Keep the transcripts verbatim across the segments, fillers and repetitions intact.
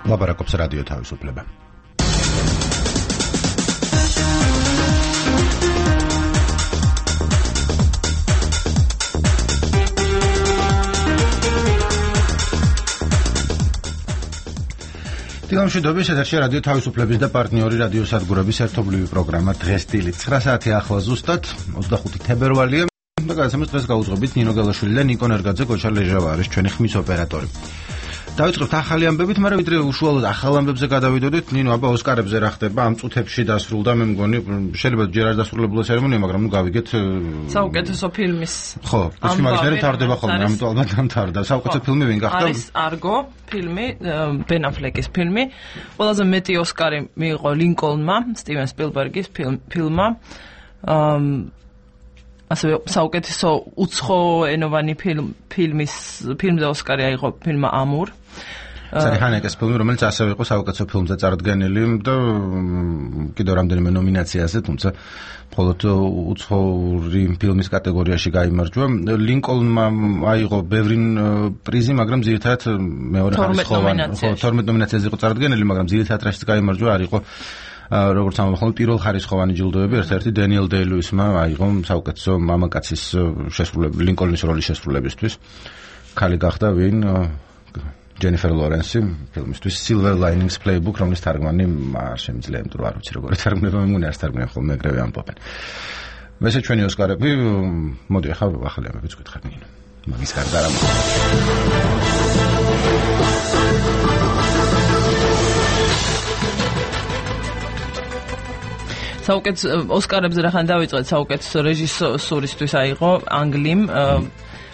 ლაპარაკობს რადიო თავისუფლება. დილამშვიდობის ეთერში რადიო თავისუფლების და პარტნიორი რადიო სადგურების ერთობლივი პროგრამა დღეს დილით ცხრა საათი ახლა ზუსტად ოცდახუთი თებერვალია და გადაცემას დღეს გაუძღებით ნინო გელაშვილი და ნიკო ნერგაძე, გოჩა ლეჟავა არის ჩვენი ხმის ოპერატორი. დავიწყებთ ახალი ამბებით, მაგრამ ვიდრე უშუალოდ ახალ ამბებზე გადავიდოდეთ, ნინო, აბა ოსკარებზე რა ხდება, ამ წუთებში დასრულდა, მე მგონი, შეიძლება ჯერ არ დასრულებულა ცერემონია, მაგრამ ნუ გავიგეთ საუკეთესო ფილმის. ხო, ფესტივალის თარდება ხოლმე, ამიტომ ალბათ დამთავრდა. საუკეთესო ფილმი ვინ გახდა? არის არგო ფილმი, ბენ აფლეკის ფილმი. ყველაზე მეტი ოსკარი მიიღო ლინკოლნმა, სტივენ სპილბერგის ფილმმა. ასევე საუკეთესო უცხოენოვანი ფილმის ფილმზე ოსკარი აიღო ფილმმა ამურ. სარი ჰანეკეს ფილმი, რომელიც ასევე იყო საუკეთესო ფილმზე წარდგენილი და კიდევ რამდენიმე ნომინაციაზე, თუმცა მხოლოდ უცხოური ფილმის კატეგორიაში გაიმარჯვა. ლინკოლნმა აიღო ბევრი პრიზი, მაგრამ ძირითადად მეორე ხარისხოვანი, ხო, თორმეტ ნომინაციაზე იყო წარდგენილი, მაგრამ ძირითადად რასაც გაიმარჯვა არ იყო როგორც ამბობენ, პირველ ხარისხოვანი ჯილდოები, ერთ-ერთი დენიელ დეი-ლუისმა აიღო საუკეთესო მამაკაცის შესრულების, ლინკოლნის როლის შესრულებისთვის. ქალი გახდა ვინ? ჯენიფერ ლორენსი ფილმისთვის Silver Linings Playbook, რომლის თარგმანი არ შემიძლია, იმიტომ რომ არ ვიცი როგორი თარგმნება, მე მგონი არც თარგმნიან ხოლმე, ეგრევე ამბობენ. მესე ჩვენი ოსკარები, მოდი ახლა ახალი ამბებიც გითხარ ნინო. მაგის გარდა რა მოხდა? საუკეთესო ოსკარებზე რახან დავიწყეთ, საუკეთესო რეჟისორისთვის აიღო ანგლიმ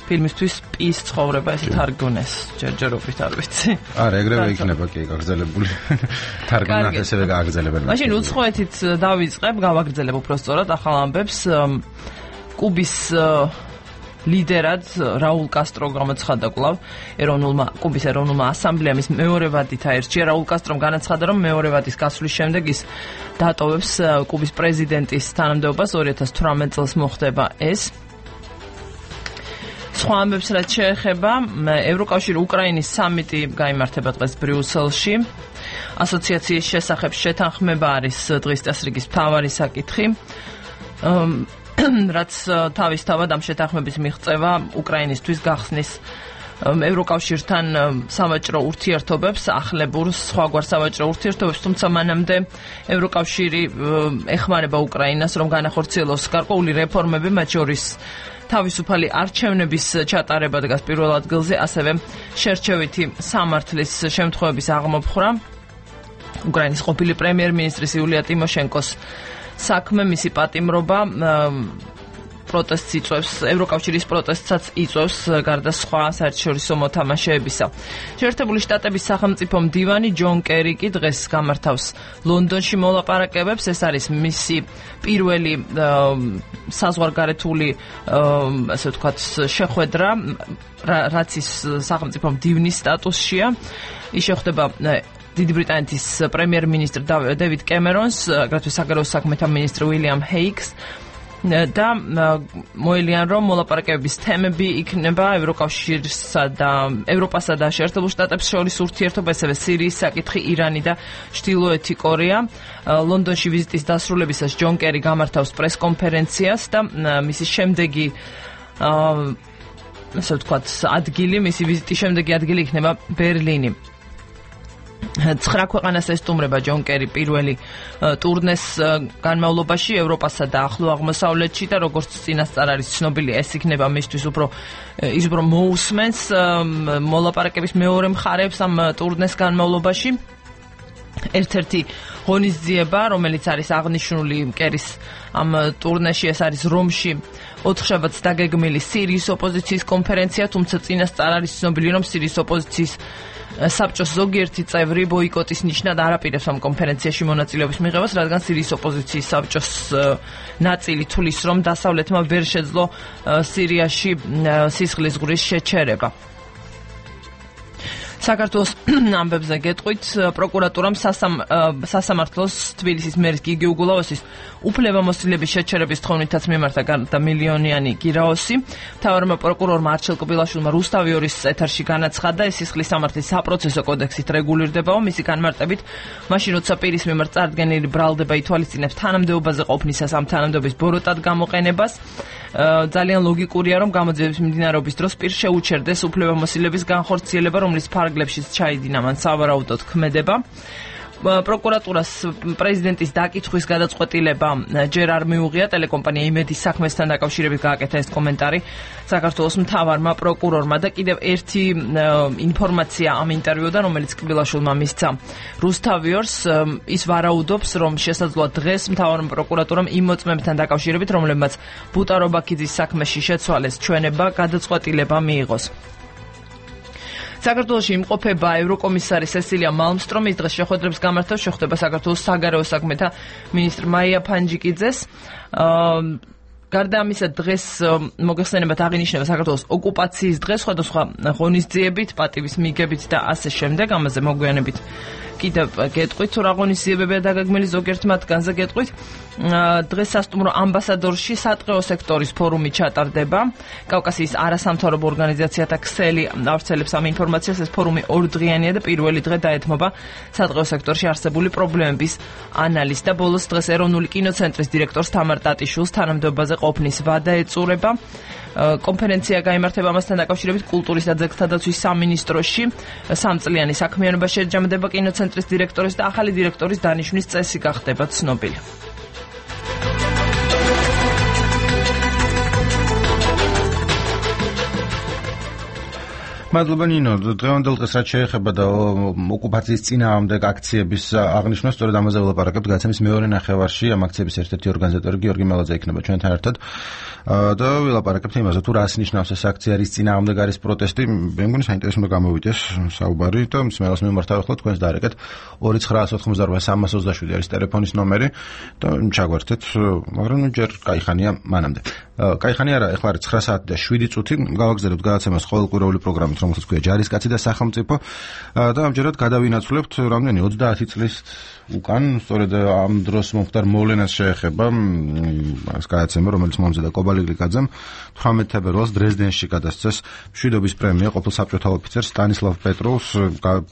ფილმისთვის პის ცხოვრება, ესე თარგმნეს ჯერჯერობით არ ვიცი. არა, ეგრევე იქნება კი გაგრძელებული. თარგმნად ესევე გააგრძელებენ. მაშინ უცხოეთით დავიწყებ, გავაგრძელებ უფრო სწორად ახალ ამბებს. კუბის ლიდერად რაულ კასტრო გამოცხადა კვლავ ეროვნულმა კუბის ეროვნულმა ასამბლეამ ის მეორე ვადით აირჩია. რაულ კასტრომ განაცხადა, რომ მეორე ვადის გასვლის შემდეგ ის დატოვებს კუბის პრეზიდენტის თანამდებობას. ორი ათას თვრამეტ წელს მოხდება ეს. სხვა ამბებს რაც შეეხება, ევროკავშირი უკრაინის სამიტი გაიმართება დღეს ბრიუსელში. ასოციაციის შესახებ შეთანხმება არის დღის წესრიგის მთავარი საკითხი. რაც თავისთავად ამ შეთანხმების მიღწევა უკრაინისთვის გახსნის ევროკავშირთან სავაჭრო ურთიერთობებს, ახლებურ სხვაგვარ სავაჭრო ურთიერთობებს, თუმცა მანამდე ევროკავშირი ეხმარება უკრაინას, რომ განახორციელოს გარკვეული რეფორმები, მათ შორის თავისუფალი არჩევნების ჩატარება დგას პირველ ადგილზე, ასევე შერჩევითი სამართლის შემთხვევების აღმოფხვრა. უკრაინის ყოფილი პრემიერ-მინისტრის იულია ტიმოშენკოს საქმე, მისი პატიმრობა პროტესტს იწვევს, ევროკავშირის პროტესტსაც იწვევს გარდა სხვა საერთაშორისო მოთამაშეებისა. შეერთებული შტატების სახელმწიფო მდივანი ჯონ კერი კი დღეს გამართავს ლონდონში მოლაპარაკებებს. ეს არის მისი პირველი საზღვარგარეთული, ასე ვთქვათ, შეხვედრა, რაც ის სახელმწიფო მდივნის სტატუსშია. ის შეხვდება დიდი ბრიტანეთის პრემიერ-მინისტრ დევიდ კემერონს, აგრეთვე საგარეო საქმეთა მინისტრ უილიამ ჰეიკს და მოელიან, რომ მოლაპარაკებების თემები იქნება ევროკავშირსა და ევროპასა და შეერთებულ შტატებს შორის ურთიერთობა, ასევე სირიის საკითხი, ირანი და ჩრდილოეთი კორეა. ლონდონში ვიზიტის დასრულებისას ჯონ კერი გამართავს პრესკონფერენციას და მისი შემდეგი ასე ვთქვათ, ადგილი, მისი ვიზიტის შემდეგი ადგილი იქნება ბერლინი. ცხრა ქვეყანას ესტუმრება ჯონ კერი პირველი ტურნეს განმავლობაში ევროპასა და ახლო აღმოსავლეთში და როგორც წინასწარ არის ცნობილი, ეს იქნება მისთვის უფრო ის უფრო მოусმენს მოლაპარაკების მეორე მხარეებს ამ ტურნეს განმავლობაში. ერთ-ერთი ღონისძიება, რომელიც არის აღნიშნული კერის ამ ტურნეში, ეს არის რომში ოთხშაბათს დაგეგმილი სირიის ოპოზიციის კონფერენცია, თუმცა წინასწარ არის ცნობილი, რომ სირიის ოპოზიციის საბჭოს ზოგიერთი წევრი ბოიკოტის ნიშნად არ აპირებს ამ კონფერენციაში მონაწილეობის მიღებას, რადგან სირიის ოპოზიციის საბჭოს ნაწილი თulis, რომ დასავლეთმა ვერ შეძლო სირიაში სისხლის ზღვრის შეჩერება. საქართველოს ამბებზე გეტყვით, პროკურატურამ სასამართლოს თბილისის მერის გიგი უგულავოსის უფლებამოსილების შეჩერების თხოვნითაც მიმართა გარდა მილიონიანი გირაოსი. მთავარმა პროკურორმა არჩილ კბილაშვილმა რუსთავიორის ეთერში განაცხადა, ეს სისხლის სამართლის საპროცესო კოდექსით რეგულირდებაო, მისი განმარტებით, მაშინ როცა პირის მიმართ წარდგენილი ბრალდება ითვალისწინებს თანამდებობაზე ყოფნისას ამ თანამდებობის ბოროტად გამოყენებას. ძალიან ლოგიკურია, რომ გამოძიების მიმდინარეობის დროს პირს შეუჩერდეს უფლებამოსილების განხორციელება, რომლის ფარგლებშიც ჩაიდინა მან სავარაუდოდ ქმედება. პროკურატურას პრეზიდენტის დაკითხვის გადაწყვეტილება ჯერ არ მიუღია, ტელეკომპანია იმედის საქმესთან დაკავშირებით გააკეთა ეს კომენტარი საქართველოს მთავარმა პროკურორმა და კიდევ ერთი ინფორმაცია ამ ინტერვიუდან, რომელიც კბილაშვილმა მისცა რუსთავიორს, ის ვარაუდობს, რომ შესაძლოა დღეს მთავარმა პროკურატურამ იმ მოწმეებთან დაკავშირებით, რომლებმაც ბუტარო ბაქიძის საქმეში შეცვალეს ჩვენება, გადაწყვეტილება მიიღოს. საქართველოში იმყოფება ევროკომისარი სესილია მალმსტრომის დღეს შეხვედრებს გამართავს, შეხვდება საქართველოს საგარეო საქმეთა მინისტრ მაია ფანჯიკიძეს. გარდა ამისა, დღეს მოგეხსენებათ აღინიშნება საქართველოს ოკუპაციის დღე, სხვადასხვა ღონისძიებით, პატივის მიგებით და ასე შემდეგ, ამაზე მოგვიანებით კიდევ გეტყვით, თუ რა ღონისძიებებია დაგეგმილი, ზოგიერთ მათგანზე გეტყვით. დღეს სასტუმრო ამბასადორში სატყეო სექტორის ფორუმი ჩატარდება. კავკასიის არასამთავრობო ორგანიზაციათა ქსელი ავრცელებს ამ ინფორმაციას. ეს ფორუმი ორდღიანია და პირველი დღე დაეთმობა სატყეო სექტორში არსებული პრობლემების ანალიზს და ბოლოს დღეს ეროვნული კინოცენტრის დირექტორს თამარ ტატიშვილს თანამდებობაზე ყოფნის ვადა ეწურება. კონფერენცია გაიმართება ამასთან დაკავშირებით კულტურის და ძეგლთა დაცვის სამინისტროში. სამწლიანი საქმიანობა შეჯამდება კინოცენტრის დირექტორის და ახალი დირექტორის დანიშვნის წესი გახდება ცნობილი. მადლობა ნინო, დღევანდელ დღეს რაც შეეხება და ოკუპაციის წინააღმდეგ აქციების აღნიშვნას, სწორედ ამაზე ვილაპარაკებთ გაცემის მეორე ნახევარში. ამ აქციების ერთ-ერთი ორგანიზატორი გიორგი მელაძე იქნება ჩვენთან ერთად და ვილაპარაკებთ იმაზე, თუ რას ნიშნავს ეს აქცია, რის წინააღმდეგ არის პროტესტი. მე მგონი საინტერესო უნდა გამოვიდეს საუბარი და მსმენელს მიმართავ ახლა თქვენს დარეკეთ ორი ცხრა ოთხმოცდაოთხი სამას ოცდაშვიდი არის ტელეფონის ნომერი და ჩაგვერთეთ, მაგრამ ჯერ кайხანია მანამდე. кайხანი არა, ახლა არის ცხრა საათი და შვიდი წუთი, გავაგზავნებთ გადაცემას ყოველკვირეული პროგრამით, რომელსაც ქვია ჯარისკაცი და სახელმწიფო და ამჯერად გადავინაცვლებთ რამდენი ოცდაათი წლის უკან, სწორედ ამ დროს მომხდარ მოვლენას შეეხება ეს გადაცემა, რომელიც მომზადა კობალი გლიკაძემ თვრამეტ თებერვალს დრეზდენში გადასცეს მშვიდობის პრემია ყოფილ საბჭოთა ოფიცერს სტანისლავ პეტროვს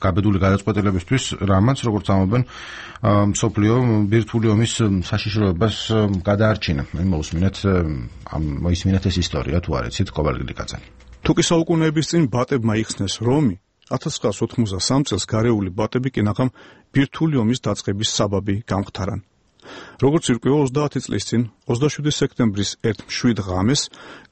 გაბედული გადაწყვეტილებისთვის, რამაც როგორც ამობენ მსოფლიო ბირთვული ომის საშიშროებას გადაარჩინა. მოусმინეთ ამ მოისმინეთ ეს ისტორია, თუ არ იცით, კობალი გლიკაძე. თუკი საუკუნეების წინ ბატებმა იხსნეს რომი, ათას ცხრაას ოთხმოცდასამ წელს გარეული ბატები კინაღამ ბირთვული ომის დაწყების საბაბი გამختარან. როგორც ირკვევა ოცდაათი წლის წინ, ოცდაშვიდი სექტემბრის ერთ მშვიდ ღამეს,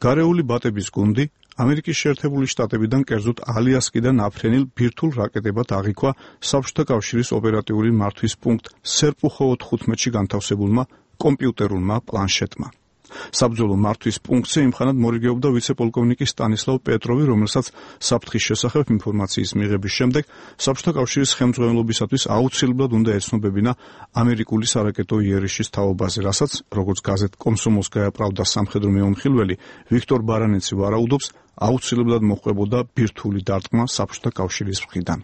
გარეული ბატების გუნდი ამერიკის შეერთებული შტატებიდან, კერძოდ ალიასკიდან აფრენილ ბირთვულ რაკეტებად აღიქვა საბჭოთა კავშირის ოპერატიული მართვის პუნქტ სერპუხო ოთხმოცდაოთხში განთავსებულმა კომპიუტერულმა პლანშეტმა. საბრძოლო მართვის პუნქტზე იმხანად მორიგეობდა ვიცე-პოლკოვნიკი სტანისლავ პეტროვი, რომელსაც საფრთხის შესახებ ინფორმაციის მიღების შემდეგ საბჭოთა კავშირის ხელმძღვანელობისათვის აუცილებლად უნდა ეცნობებინა ამერიკული სარაკეტო იერიშის თაობაზე, რასაც, როგორც გაზეთ კომსომოლსკაია პრავდა სამხედრო მეუმხილველი ვიქტორ ბარანეცი ვარაუდობს, აუცილებლად მოჰყვებოდა ბირთვული დარტყმა საბჭოთა კავშირის მხრიდან.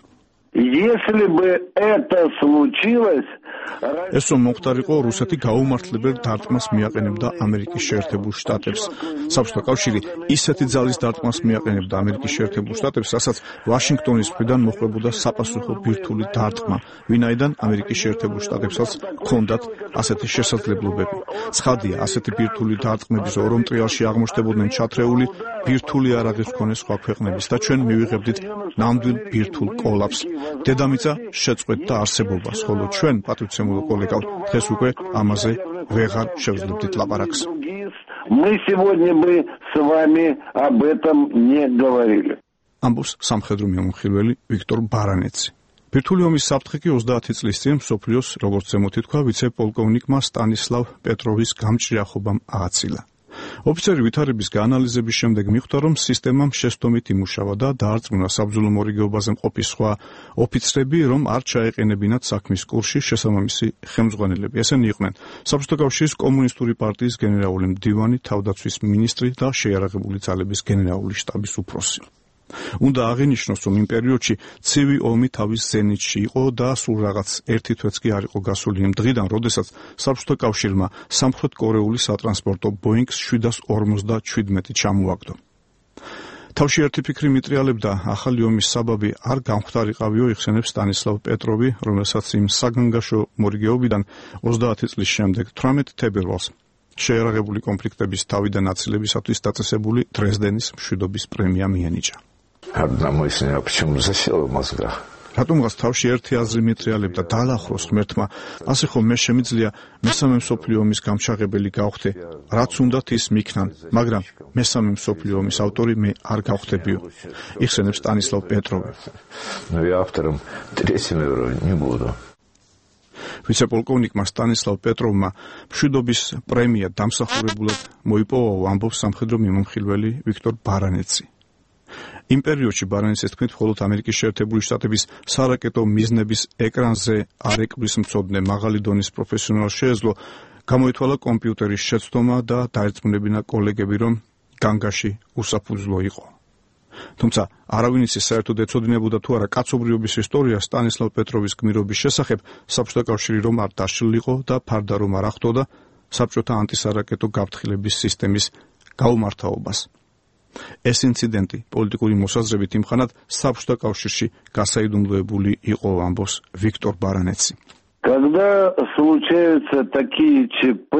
Если бы это случилось, ეს რომ მომხდარიყო, რუსეთი გაუმართლებელ დარტყმას მიაყენებდა ამერიკის შეერთებულ შტატებს. საბჭოთა კავშირი ისეთი ძალის დარტყმას მიაყენებდა ამერიკის შეერთებულ შტატებს, რასაც ვაშინგტონის მხრიდან მოჰყვებოდა საპასუხო ბირთვული დარტყმა, ვინაიდან ამერიკის შეერთებულ შტატებსაც ჰქონდათ ასეთი შესაძლებლობები. ცხადია, ასეთი ბირთვული დარტყმების ორო მტრიალში აღმოჩნდებოდნენ ჩათრეული ბირთვული არაღის მქონე სხვა ქვეყნების და ჩვენ მივიღებდით ნამდვილ ბირთვულ კოლაფს. დედამიწა შეწყვეტდა არსებობას, ხოლო ჩვენ, პატრიცემულო კოლეგავ, დღეს უკვე ამაზე ვეღარ შევძლებდით ლაპარაკს. Мы сегодня бы с вами об этом не говорили. ამბობს სამხედრო მეუმხილველი ვიქტორ ბარანეცი. ბირთვული ომის საფრთხე კი ოცდაათი წლის წინ მსოფლიოს, როგორც ზემოთ ითქვა, ვიცე-პოლკოვნიკმა სტანისლავ პეტროვის გამჭრიახობამ ააცილა. ოფიცერი ვითარების გაანალიზების შემდეგ მიხვდა, რომ სისტემამ შესტომით იმუშავა და დაარწმუნა საბრძოლო მორიგეობაზე მყოფი სხვა ოფიცრები, რომ არ ჩაეყენებინათ საქმის კურსში შესაბამისი ხელმძღვანელები. ესენი იყვნენ საბჭოთა კავშირის კომუნისტური პარტიის გენერალური მდივანი, თავდაცვის მინისტრი და შეიარაღებული ძალების გენერალური შტაბის უფროსი. უნდა აღინიშნოს, რომ იმ პერიოდში ცივი ომი თავის ზენიტში იყო და სულ რაღაც ერთი თვეც კი არ იყო გასული იმ დღიდან, როდესაც საბჭოთა კავშირმა სამხრეთ კორეული სატრანსპორტო Boeing შვიდას ორმოცდაშვიდმეტი ჩამოაგდო. თავში ერთი ფიქრი მიტრიალებდა, ახალი ომის საბაბი არ გამختარიყავიო, იხსენებს სტანისლავ პეტროვი, რომელსაც იმ საგანგაშო მორიგეობიდან ოცდაათი წლის შემდეგ თვრამეტი თებერვალს შეერაღებული კონფლიქტების თავიდან აწილებისათვის დაწესებული დრეზდენის მშვიდობის პრემია მიენიჭა. Одному из них почему засел в мозгах. რატომღაც თავში ერთი აზრი მიტრიალებდა დაალახროს ღმერთმა, ასე ხომ მე შემიძლია მესამე მსოფლიო ომის გამჩაღებელი გავხდე, რაც უნდათ ის მიქნან, მაგრამ მესამე მსოფლიო ომის ავტორი მე არ გავხდებიო. იხსენებს სტანისლავ პეტროვი. Ну и автором третьего уровня не буду. ვიცე-პოლკოვნიკმა სტანისლავ პეტროვმა მშვიდობის პრემია დამსახურებულად მოიპოვა, ამბობს სამხედრო მიმომხილველი ვიქტორ ბარანეცი. იმ პერიოდში ბარანეცის თქმით, მხოლოდ ამერიკის შეერთებული შტატების სარაკეტო მიზნების ეკრანზე არ ეკბლის მცოდნე მაღალი დონის პროფესიონალს შეეძლო გამოითვალა კომპიუტერის შეცდომა და დაერწმუნებინა კოლეგები, რომ განგაში უსაფუძვლო იყო. თუმცა არავინ იცის საერთოდ ეცოდინებოდა თუ არა კაცობრიობის ისტორია სტანისლავ პეტროვის გმირობის შესახებ, საბჭოთა კავშირი რომ არ დაშლილიყო და ფარდა რომ არ ახლდოდა საბჭოთა ანტისარაკეტო გაფრთხილების სისტემის გაუმართავობას. ეს ინციდენტი პოლიტიკური მოსაზრებით იმხანად საბჭოთა კავშირში გასაიდუმლოებული იყო, ამბობს ვიქტორ ბარანეცი. Когда случаются такие ЧП,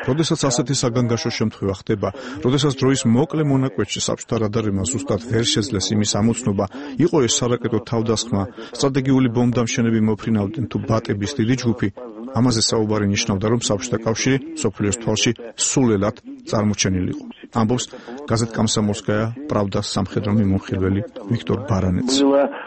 როდესაც ასეთი საგანგაშო შემთხვევა ხდება, როდესაც დროის მოკლე მონაკვეთში საბჭოთა რადარებმა ზუსტად ვერ შეძლეს იმის ამოცნობა, იყო ეს სარაკეტო თავდასხმა, სტრატეგიული ბომბდამშენები მოფრინავდნენ თუ ბატების დიდი ჯგუფი, ამაზე საუბარი ნიშნავდა, რომ საბჭოთა კავშირი მსოფლიოს თვალში სულელად წარმოჩენილიყო. ამბობს გაზეთ Комсомольская правда სამხედრო მიმომხილველი ვიქტორ ბარანეცი.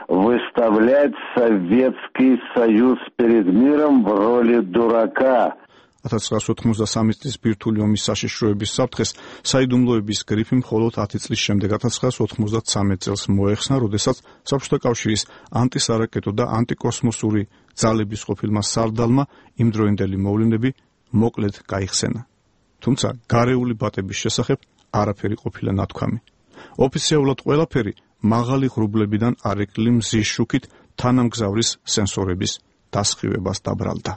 выставлять Советский Союз перед миром в роли дурака. ათას ცხრაასი ოთხმოცდასამი წლის ბირთვული ომის საშიშროების საფრთხეს საიდუმლოების გრიფი მხოლოდ ათი წლის შემდეგ ათას ცხრაასი ოცდამოცდამი წელს მოეხსნა, როდესაც საბჭოთა კავშირის ანტისარაკეტო და ანტიკოსმოსური ძალების ყოფილმა სარდალმა იმდროინდელი მოვლენები მოკლედ გაიხსენა. თუმცა გარეული ბატების შესახებ არაფერი ყოფილა ნათქვამი. ოფიციალურად ყველაფერი მაღალი ღრუბლებიდან არეკლი მზის შუქით თანამგზავრის სენსორების დასხივებას დაბრალდა.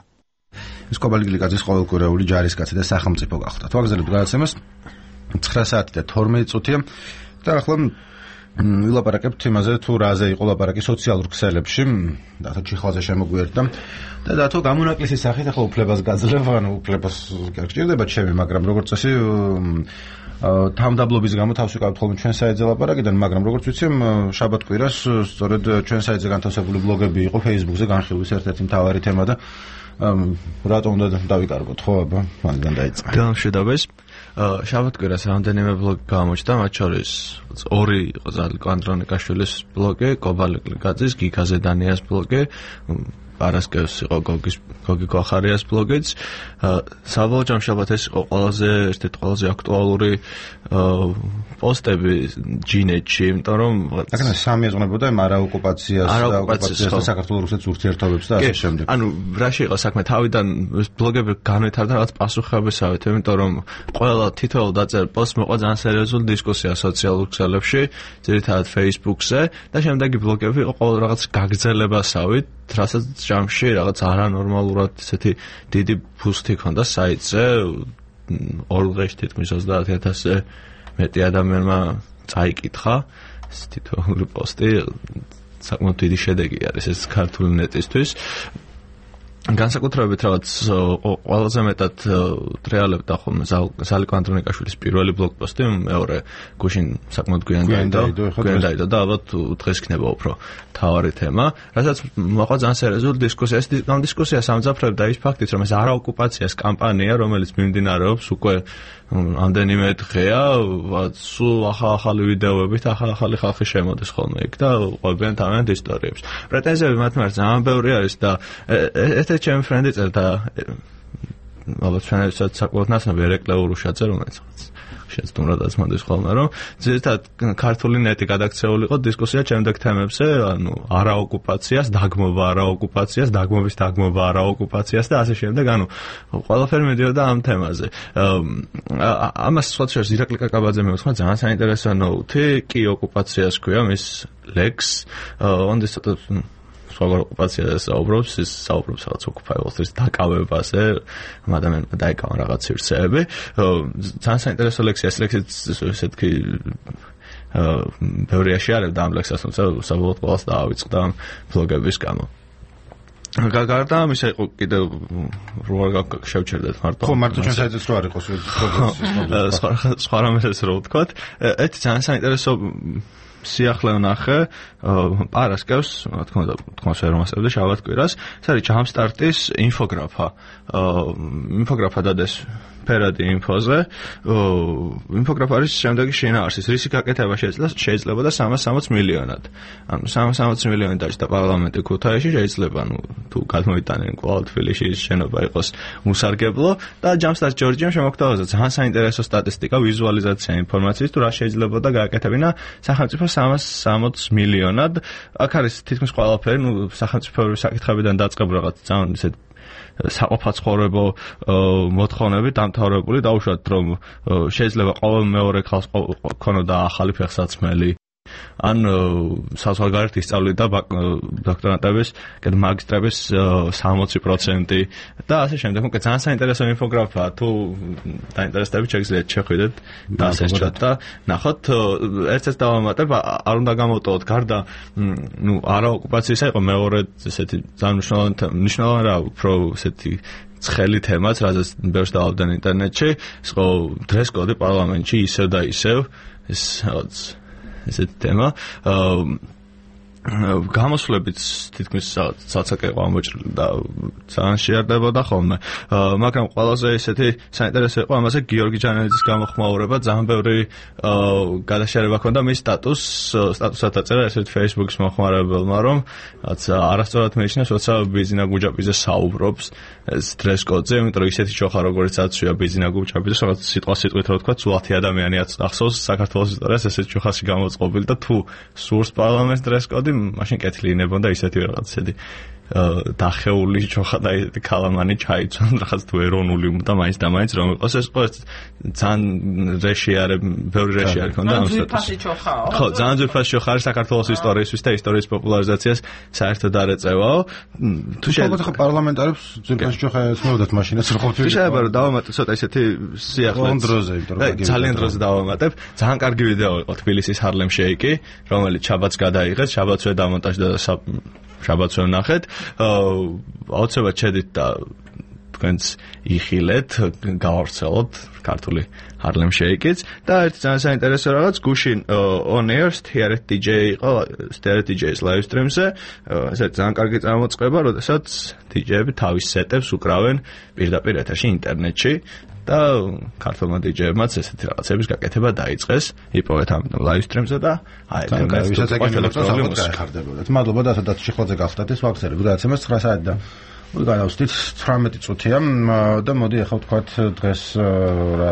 ეს კობალი გლიკაძის ყოველკვირეული ჯარისკაცი და სახელმწიფო გახდა. თვალგზელებ გადაცემას ცხრა საათი და თორმეტი წუთია და ახლა ვილაპარაკებთ იმაზე, თუ რაზე იყო ლაპარაკი სოციალურ ქსელებში, დათო ჩიხვალზე შემოგვიერთდა და დათო გამონაკლისის სახით ახლა უფლებას გაძლევ, ანუ უფლებას კი არ გჭირდება ჩემი, მაგრამ როგორც წესი თავმდაბლობის გამო თავს ვიყავთ ხოლმე ჩვენ საიტზე ლაპარაკიდან, მაგრამ როგორც ვიცი, შაბათ კვირას სწორედ ჩვენ საიტზე განთავსებული ბლოგები იყო Facebook-ზე განხილვის ერთ-ერთი მთავარი თემა და რატომ უნდა დავიკარგოთ, ხო აბა, მაგიდან დაიწყე. გამშვიდობეს. შაბათ კვირას რამდენიმე ბლოგი გამოჩნდა, მათ შორის ორი იყო ზალიკო ანდრონიკაშვილის ბლოგი, კობალი გლიკაძის, გიგა ზედანიას ბლოგი, პარასკევს იყო გოგის გოგი გვახარიას ბლოგიც. საბოლოო ჯამშაბათ ეს იყო ყველაზე ერთ-ერთი ყველაზე აქტუალური პოსტები ჯინეთში, იმიტომ რომ აქ სამი ეძღვნებოდა იმ არაოკუპაციას და ოკუპაციას და საქართველოს რუსეთის ურთიერთობებს და ასე შემდეგ. ანუ რაში იყო საქმე, თავიდან ბლოგები განვითარდა რაღაც პასუხებისავით, იმიტომ რომ ყველა თითოეულ დაწერილ პოსტს მოყვა ძალიან სერიოზული დისკუსია სოციალურ ქსელებში, ძირითადად Facebook-ზე და შემდეგი ბლოგები იყო ყოველ რაღაც გაგრძელებასავით, რასაც ჯამში რაღაც არანორმალურად ესეთი დიდი ბუსტი ჰქონდა საიტზე, ორ დღეში თითქმის ოცდაათი ათასზე მეტი ადამიანმა წაიკითხა ეს თითოეული პოსტი, საკმაოდ დიდი შედეგი არის ეს ქართული ნეტისთვის. განსაკუთრებით რაღაც ყველაზე მეტად ტრიალებდა ხოლმე ზალიკო ანდრონიკაშვილის პირველი ბლოგპოსტი, მეორე გუშინ საკმაოდ გვიან დაიდო და ალბათ დღეს იქნება უფრო მთავარი თემა, რასაც მოყვა ძალიან სერიოზული დისკუსია. ეს დისკუსია სამძაფრებდა ის ფაქტით, რომ ეს არაოკუპაციას კამპანია, რომელიც მიმდინარეობს უკვე ამდენიმე დღეა, სულ ახალ-ახალი ვიდეოებით, ახალ-ახალი ხალხი შემოდის ხოლმე იქ და ყვებიან თავიანთ ისტორიებს. პრეტენზიები მათ მიმართ ძალიან ბევრი არის და ერთ-ერთი ჩემი ფრენდი წერდა ალბათ ჩვენებსაც საკმაოდ ნაცნობი ერეკლე ურუშაძე, რომელიც შეცდომადაც მოდის ხოლმე, რომ ძირითადად ქართული ნეტი გადაქცეული იყო დისკუსია ჩემდექ თემებზე, ანუ არაოკუპაციას, დაგმობა არაოკუპაციას, დაგმობის დაგმობა არაოკუპაციას და ასე შემდეგ, ანუ ყველაფერი მიდიოდა ამ თემაზე. ამას სხვა შორის ირაკლი კაკაბაძე მეუთხმა ძალიან საინტერესო ნოუთი, კი ოკუპაციას ქვია მის ლექს, ონდის ცოტა სხვაგვარ ოკუპაციაზე საუბრობს, ის საუბრობს რაღაც ოკუპაიბლს დაკავებაზე, ადამიანმა დაიკავა რაღაც სივრცეები. ძალიან საინტერესო ლექსია, ეს ლექსიც ესეთი ბევრი აშიარებდა ამ ლექსას, თუმცა საბოლოოდ ყველას დაავიწყდა ამ ბლოგების გამო. გარდა ამისა იყო კიდევ როარ შევჩერდეთ მარტო. ხო, მარტო ჩვენ საერთოდ რო არ იყოს სხვა სხვა რამეს რო ვთქვათ. ერთი ძალიან საინტერესო სიახლე ვნახე პარასკევს, რა თქმა უნდა, თქოს ერმასებდა შაბათ კვირას, ეს არის ჯამსტარტის ინფოგრაფა. ინფოგრაფა დადეს ფერადი ინფოზე. ინფოგრაფა არის შემდეგი შინაარსის, რისი გაკეთება შეიძლება და სამას სამოცი მილიონად. ანუ სამას სამოცი მილიონი დაჭდა პარლამენტი ქუთაისში, შეიძლება ნუ თუ გადმოიტანენ კვლავ თბილისში შენობა იყოს უსარგებლო და ჯამსტარტ ჯორჯიამ შემოგთავაზა ძალიან საინტერესო სტატისტიკა, ვიზუალიზაცია ინფორმაციის თუ რა შეიძლება და გააკეთებინა სახელმწიფო სამას სამოცი მილიონად. აქ არის თითქმის ყველაფერი, ნუ სახელმწიფოების საკითხებიდან დაწყებული რაღაც ძალიან ისეთ საყოფაცხოვრებო მოთხოვნები დამთავრებული, დაუშვათ რომ შეიძლება ყოველ მეორე ხალხს ქონოდა ახალი ფეხსაცმელი. ან საზღვარგარეთ ისწავლიდა დოქტორანტების, კიდე მაგისტრების სამოცი პროცენტი და ასე შემდეგ. უკვე ძალიან საინტერესო ინფოგრაფაა, თუ დაინტერესდებით შეგიძლიათ შეხვიდეთ და ასეჩოთ და ნახოთ. ერთ-ერთ დავამატებ, არ უნდა გამოვტოვოთ გარდა ნუ არაოკუპაციისა იყო მეორე ესეთი ძალიან მნიშვნელოვანი რა, უფრო ესეთი ცხელი თემაც, რაზეც ბევრს დავავდნენ ინტერნეტში, ის იყო დრეს-კოდი პარლამენტში ისევ და ისევ, ეს რაღაც ესეთი თემა. გამოსვლებით თითქმის ცალცაკე იყო ამოჭრილი და ძალიან შეარდებოდა ხოლმე. მაგრამ ყველაზე ესეთი საინტერესო იყო ამაზე გიორგი ჯანელიძის გამოხმაურება, ძალიან ბევრი გადაშერება ჰქონდა მის სტატუს, სტატუსად აწერა ესეთ Facebook-ის მოხმარებელმა, რომ რაც არასწორად მეჩნიეს, როცა ბიზინა გუჯაპიძე საუბრობს ეს დრეს-კოდზე, იმიტომ რომ ისეთი ჩოხა როგორც აცვია ბიზინა გუჯაპიძეს, რაღაც სიტყვა სიტყვით რო ვთქვა, ცვლათი ადამიანი ახსოვს საქართველოს ისტორიას ესეთ ჩოხაში გამოწყობილი და თუ სურს პარლამენტს დრეს-კოდი მაშინ კეთილი ინებოდა ისეთი რაღაც ისეთი დახეული ჩოხა და კალამანი ჩაიცვან რაღაც თუ ეროვნული და მაინც და მაინც რომ იყოს ეს ყო ძალიან რეშიარე ბევრი რეშიარი ქონდა ამ სტატუსში. ხო, ძალიან ძვირფასი ჩოხა არის საქართველოს ისტორიისთვის და ისტორიის პოპულარიზაციას საერთოდ არ ეწევაო. თუ შეიძლება ხო პარლამენტარებს ძვირფასი ჩოხა ეცნობოდათ მაშინაც რო ყოფილი. შეიძლება რომ დავამატო ცოტა ისეთი სიახლე დროზე, იმიტომ რომ ძალიან დროზე დავამატებ. ძალიან კარგი ვიდეო იყო თბილისის ჰარლემ შეიკი, რომელიც შაბათს გადაიღეს, შაბათსვე დამონტაჟდა და შაბათსვე ვნახეთ. აუცილებლად შედით და თქვენც იხილეთ, გავავრცელოთ ქართული ჰარლემ შეიკიც და ერთი ძალიან საინტერესო რაღაც გუშინ on air სტიარეთ დიჯეი იყო, სტიარეთ დიჯეის live stream-ზე, ესე ძალიან კარგი წარმოწყება, როდესაც დიჯეები თავის სეტებს უკრავენ პირდაპირ ეთერში ინტერნეტში და ქართულმა დიჯეებმაც ესეთი რაღაცების გაკეთება დაიწყეს, იპოვეთ ამ live stream-ზე და აედენ ვისაც ეკეთებოდა გაიხარდებოდათ. მადლობა და სადაც შეხვედრა გახდათ ეს ვახსენებ, გადაცემას ცხრა საათი და გავუსტით ცხრამეტი წუთია და მოდი ახლა ვთქვათ დღეს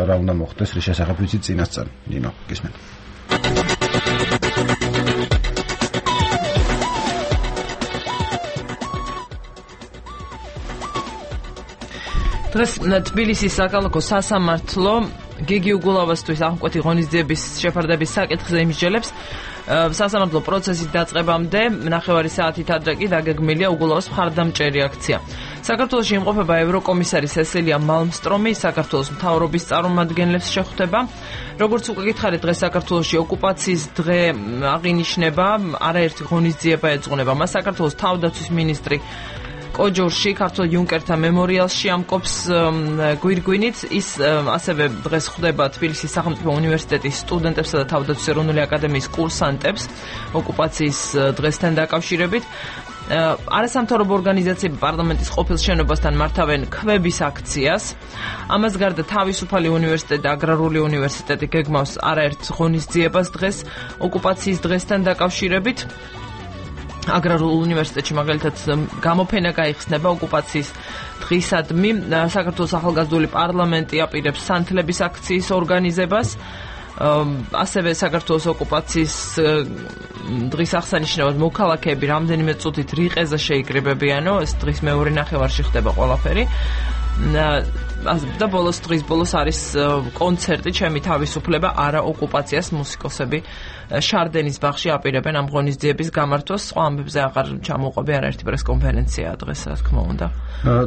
რა უნდა მოხდეს, რის შესახებ ვიცით წინასწარ. ნინო, გისმენთ. დღეს თბილისის საკალათო სასამართლო გიგი უგულავასთვის აღმკვეთი ღონისძიების შეფარდების საკითხზე იმსჯელებს. სასამართლო პროცესის დაწყებამდე ნახევარი საათით ადრე კი დაგეგმილია უგულავას მხარდამჭერი აქცია. საქართველოში იმყოფება ევროკომისარი სესილია მალმსტრომი, საქართველოს მთავრობის წარმომადგენლებს შეხვდება. როგორც უკვე გითხარით, დღეს საქართველოში ოკუპაციის დღე აღინიშნება, არაერთი ღონისძიება ეძღვნება. მას საქართველოს თავდაცვის მინისტრი კოჯორში ქართულ იუნკერთა მემორიალში ამკობს გვირგვინით. ის ასევე დღეს ხვდება თბილისის სახელმწიფო უნივერსიტეტის სტუდენტებსა და თავდაცვის ეროვნული აკადემიის კურსანტებს ოკუპაციის დღესთან დაკავშირებით. არასამთავრობო ორგანიზაციები პარლამენტის ყოფილ შენობასთან მართავენ კვების აქციას. ამას გარდა თავისუფალი უნივერსიტეტი და აგრარული უნივერსიტეტი გეგმავს არაერთ ღონისძიებას დღეს ოკუპაციის დღესთან დაკავშირებით. აგრარულ უნივერსიტეტში მაგალითად გამოფენა გაიხსნება ოკუპაციის დღისადმი. საქართველოს ახალგაზრდული პარლამენტი აპირებს სანთლების აქციის ორგანიზებას. ასევე საქართველოს ოკუპაციის დღის აღსანიშნავად მოქალაქეები რამდენიმე წუთით რიყეზე შეიკრიბებიანო, ეს დღის მეორე ნახევარში ხდება ყველაფერი. და ბოლოს დღის ბოლოს არის კონცერტი ჩემი თავისუფლება არა ოკუპაციას მუსიკოსები შარდენის ბაღში აპირებენ ამ ღონისძიების გამართვას. სხვა ამბებზე აღარ ჩამოყვები არაერთი პრესკონფერენციაა დღეს, რა თქმა უნდა.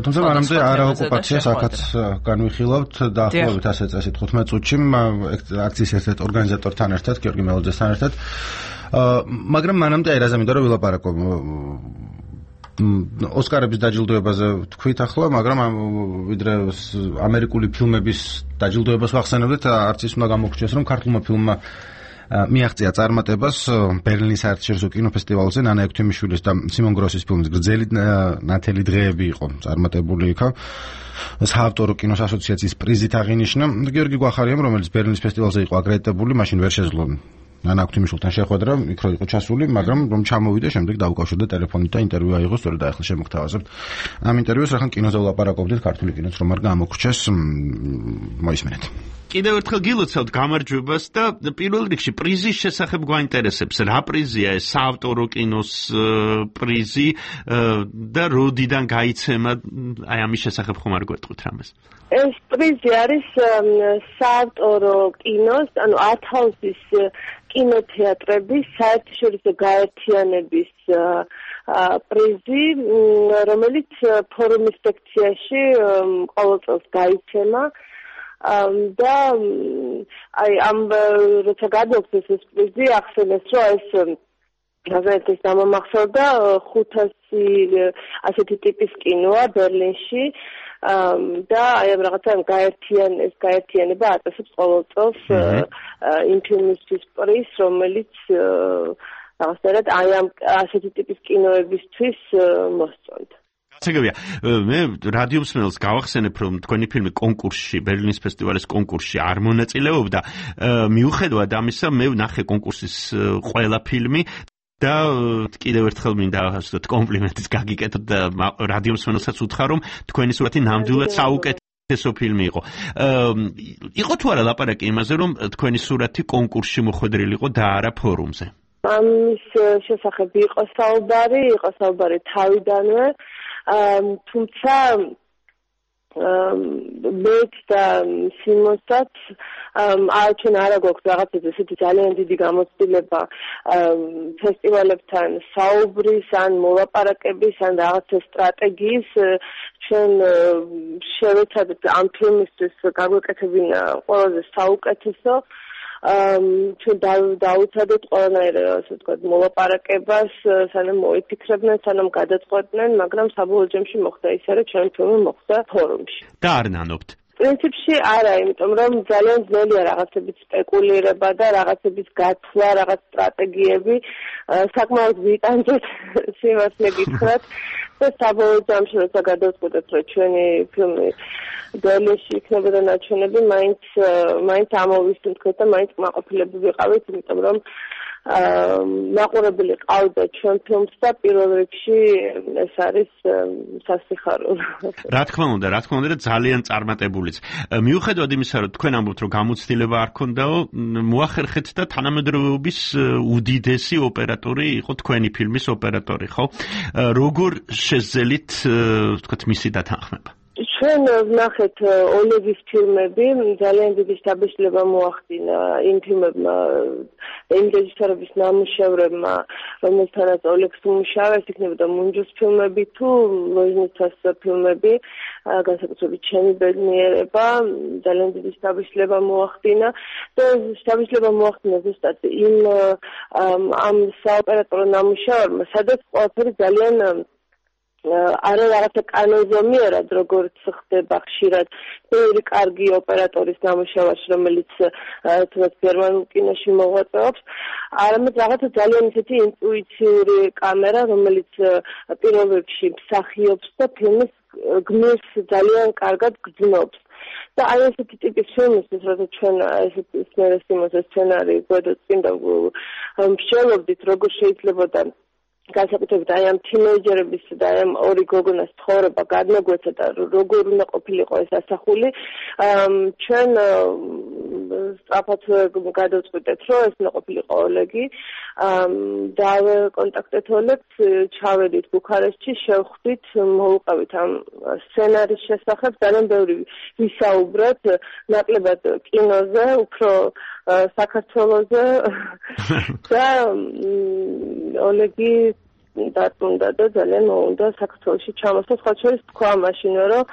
თუმცა მანამდე არა ოკუპაციას აქაც განვიხილავთ დაახლოებით ასე წესით თხუთმეტ წუთში აქციის ერთ-ერთ ორგანიზატორთან ერთად, გიორგი მელოძესთან ერთად. მაგრამ მანამდე აი რაზე მინდა რომ ვილაპარაკო. ოსკარების დაჯილდოებაზე თქვით ახლა, მაგრამ ვიდრე ამერიკული ფილმების დაჯილდოებას ვახსენებდით, არც ის უნდა გამოგრჩიოს, რომ ქართულმა ფილმმა მიაღწია წარმატებას ბერლინის საერთაშორისო კინოფესტივალზე. ნანა ექვთიმიშვილის და სიმონ გროსის ფილმის გრძელი ნათელი დღეები იყო წარმატებული იქა. საავტორო კინოს ასოციაციის პრიზით აღინიშნა. გიორგი გვახარიამ, რომელიც ბერლინის ფესტივალზე იყო აკრედიტებული, მაშინ ვერ შეძლო ნანა ექვთიმიშვილთან შეხვედრა, იქ რო იყო ჩასული, მაგრამ რომ ჩამოვიდა, შემდეგ დაუკავშირდა ტელეფონით და ინტერვიუ აიღო, სწორედ ახლა შემოგთავაზებთ. ამ ინტერვიუს რახან კინოზე ვლაპარაკობდით, ქართული კინოც რომ არ გამოგრჩეს, მოისმენთ. კიდევ ერთხელ გილოცავთ გამარჯვებას და პირველ რიგში პრიზის შესახებ გვაინტერესებს. რა პრიზია ეს საავტორო კინოს პრიზი და როდიდან გაიცემა? აი ამის შესახებ ხომ არ გვეტყვით რამეს? ეს პრიზი არის საავტორო კინოს, ანუ ართჰაუსის კინოთეატრების საერთაშორისო გაერთიანების პრიზი, რომელიც ფორუმის სექციაში ყოველ წელს გაიცემა. და აი ამ როცა გადმოგცეს ეს პრიზი, ახსენეს, რომ ეს გაზეთის დამამახსოვრდა ხუთასი ასეთი ტიპის კინოა ბერლინში. და აი ამ რაღაცა გაერთიან ეს გაერთიანება აწესებს ყოველ წელს იმ ფილმისთვის პრიზს, რომელიც რაღაცნაირად აი ამ ასეთი ტიპის კინოებისთვის მოსწონთ. გასაგებია, მე რადიო მსმენელს გავახსენებ, რომ თქვენი ფილმი კონკურსში, ბერლინის ფესტივალის კონკურსში არ მონაწილეობდა. მიუხედავად ამისა, მე ვნახე კონკურსის ყველა ფილმი და კიდევ ერთხელ მინდა ასეთ კომპლიმენტის გაგიკეთოთ და რადიო მსმენელსაც უთხრა, რომ თქვენი სურათი ნამდვილად საუკეთესო ფილმი იყო. იყო თუ არა ლაპარაკი იმაზე, რომ თქვენი სურათი კონკურსში მოხვედრილი იყო და არა ფორუმზე? ამის შესახებ იყო საუბარი, იყო საუბარი თავიდანვე. თუმცა მეც და სიმონსაც ჩვენ არა გვაქვს რაღაცა ესეთი ძალიან დიდი გამოცდილება ფესტივალებთან საუბრის ან მოლაპარაკების ან რაღაცა სტრატეგიის. ჩვენ შევეცადეთ ამ ფილმისთვის გაგვეკეთებინა ყველაზე საუკეთესო. ჩვენ დაუცადეთ ყველანაირ ასე ვთქვათ მოლაპარაკებას, სანამ მოიფიქრებდნენ, სანამ გადაწყვეტდნენ, მაგრამ საბოლოო ჯამში მოხდა ისე, რომ ჩვენ ფილმი მოხდა ფორუმში. და არ ნანობთ? პრინციპში არა, იმიტომ რომ ძალიან ძნელია რაღაცების სპეკულირება და რაღაცების გათვლა, რაღაც სტრატეგიები. საკმაოდ ვიტანჯეთ, სიმართლე გითხრათ. და საბოლოო ჯამში როცა გადავწყვეტეთ, რომ ჩვენი ფილმი ბერლინში იქნებოდა ნაჩვენები, მაინც მაინც ამოვისუნთქეთ და მაინც კმაყოფილები ვიყავით, იმიტომ რომ მაყურებელი ყავდა ჩვენ ფილმს და პირველ რიგში ეს არის სასიხარულო. რა თქმა უნდა, რა თქმა უნდა და ძალიან წარმატებულიც. მიუხედავად იმისა, რომ თქვენ ამბობთ, რომ გამოცდილება არ ქონდაო, მოახერხეთ და თანამედროვეობის უდიდესი ოპერატორი იყო თქვენი ფილმის ოპერატორი, ხო? როგორ შეძელით, ვთქვათ, მისი დათანხმება? ჩვენ ვნახეთ ოლეგის ფილმები, ძალიან დიდი შთაბეჭდილება მოახდინა იმ ფილმებმა, იმ რეჟისორების ნამუშევრებმა, რომელთანაც ოლეგს უმუშავეს, იქნებოდა მუნჯოს ფილმები თუ ლოჟნიცას ფილმები, განსაკუთრებით ჩემი ბედნიერება, ძალიან დიდი შთაბეჭდილება მოახდინა და შთაბეჭდილება მოახდინა ზუსტად იმ ამ საოპერატორო ნამუშევრებმა, სადაც ყველაფერი ძალიან არა რაღაცა კანონზომიერად, როგორც ხდება ხშირად ბევრი კარგი ოპერატორის ნამუშევარში, რომელიც თუნდაც გერმანულ კინოში მოღვაწეობს, არამედ რაღაცა ძალიან ისეთი ინტუიციური კამერა, რომელიც პირველ რიგში მსახიობს და ფილმის გმირს ძალიან კარგად გრძნობს. და აი ესეთი ტიპის ფილმისთვის, როცა ჩვენ ესეთი სცენარის სცენარი გვედოთ წინ და მსჯელობდით, როგორ შეიძლებოდა განსაკუთრებით აი ამ თინეიჯერების და აი ამ ორი გოგონას ცხოვრება გადმოგვეცა და როგორ უნდა ყოფილიყო ეს ასახული. ჩვენ სწრაფად გადავწყვიტეთ, რომ ეს უნდა ყოფილიყო ოლეგი. დავაკონტაქტეთ ოლეგს, ჩავედით ბუქარესტში, შევხვდით, მოვუყავით ამ სცენარის შესახებ, ძალიან ბევრი ვისაუბრეთ, ნაკლებად კინოზე, უფრო საქართველოზე და ოლეგი დაწუნდა და ძალიან მოუნდა საქართველოში ჩამოსვლა. სხვა შორის თქვა მაშინ, რომ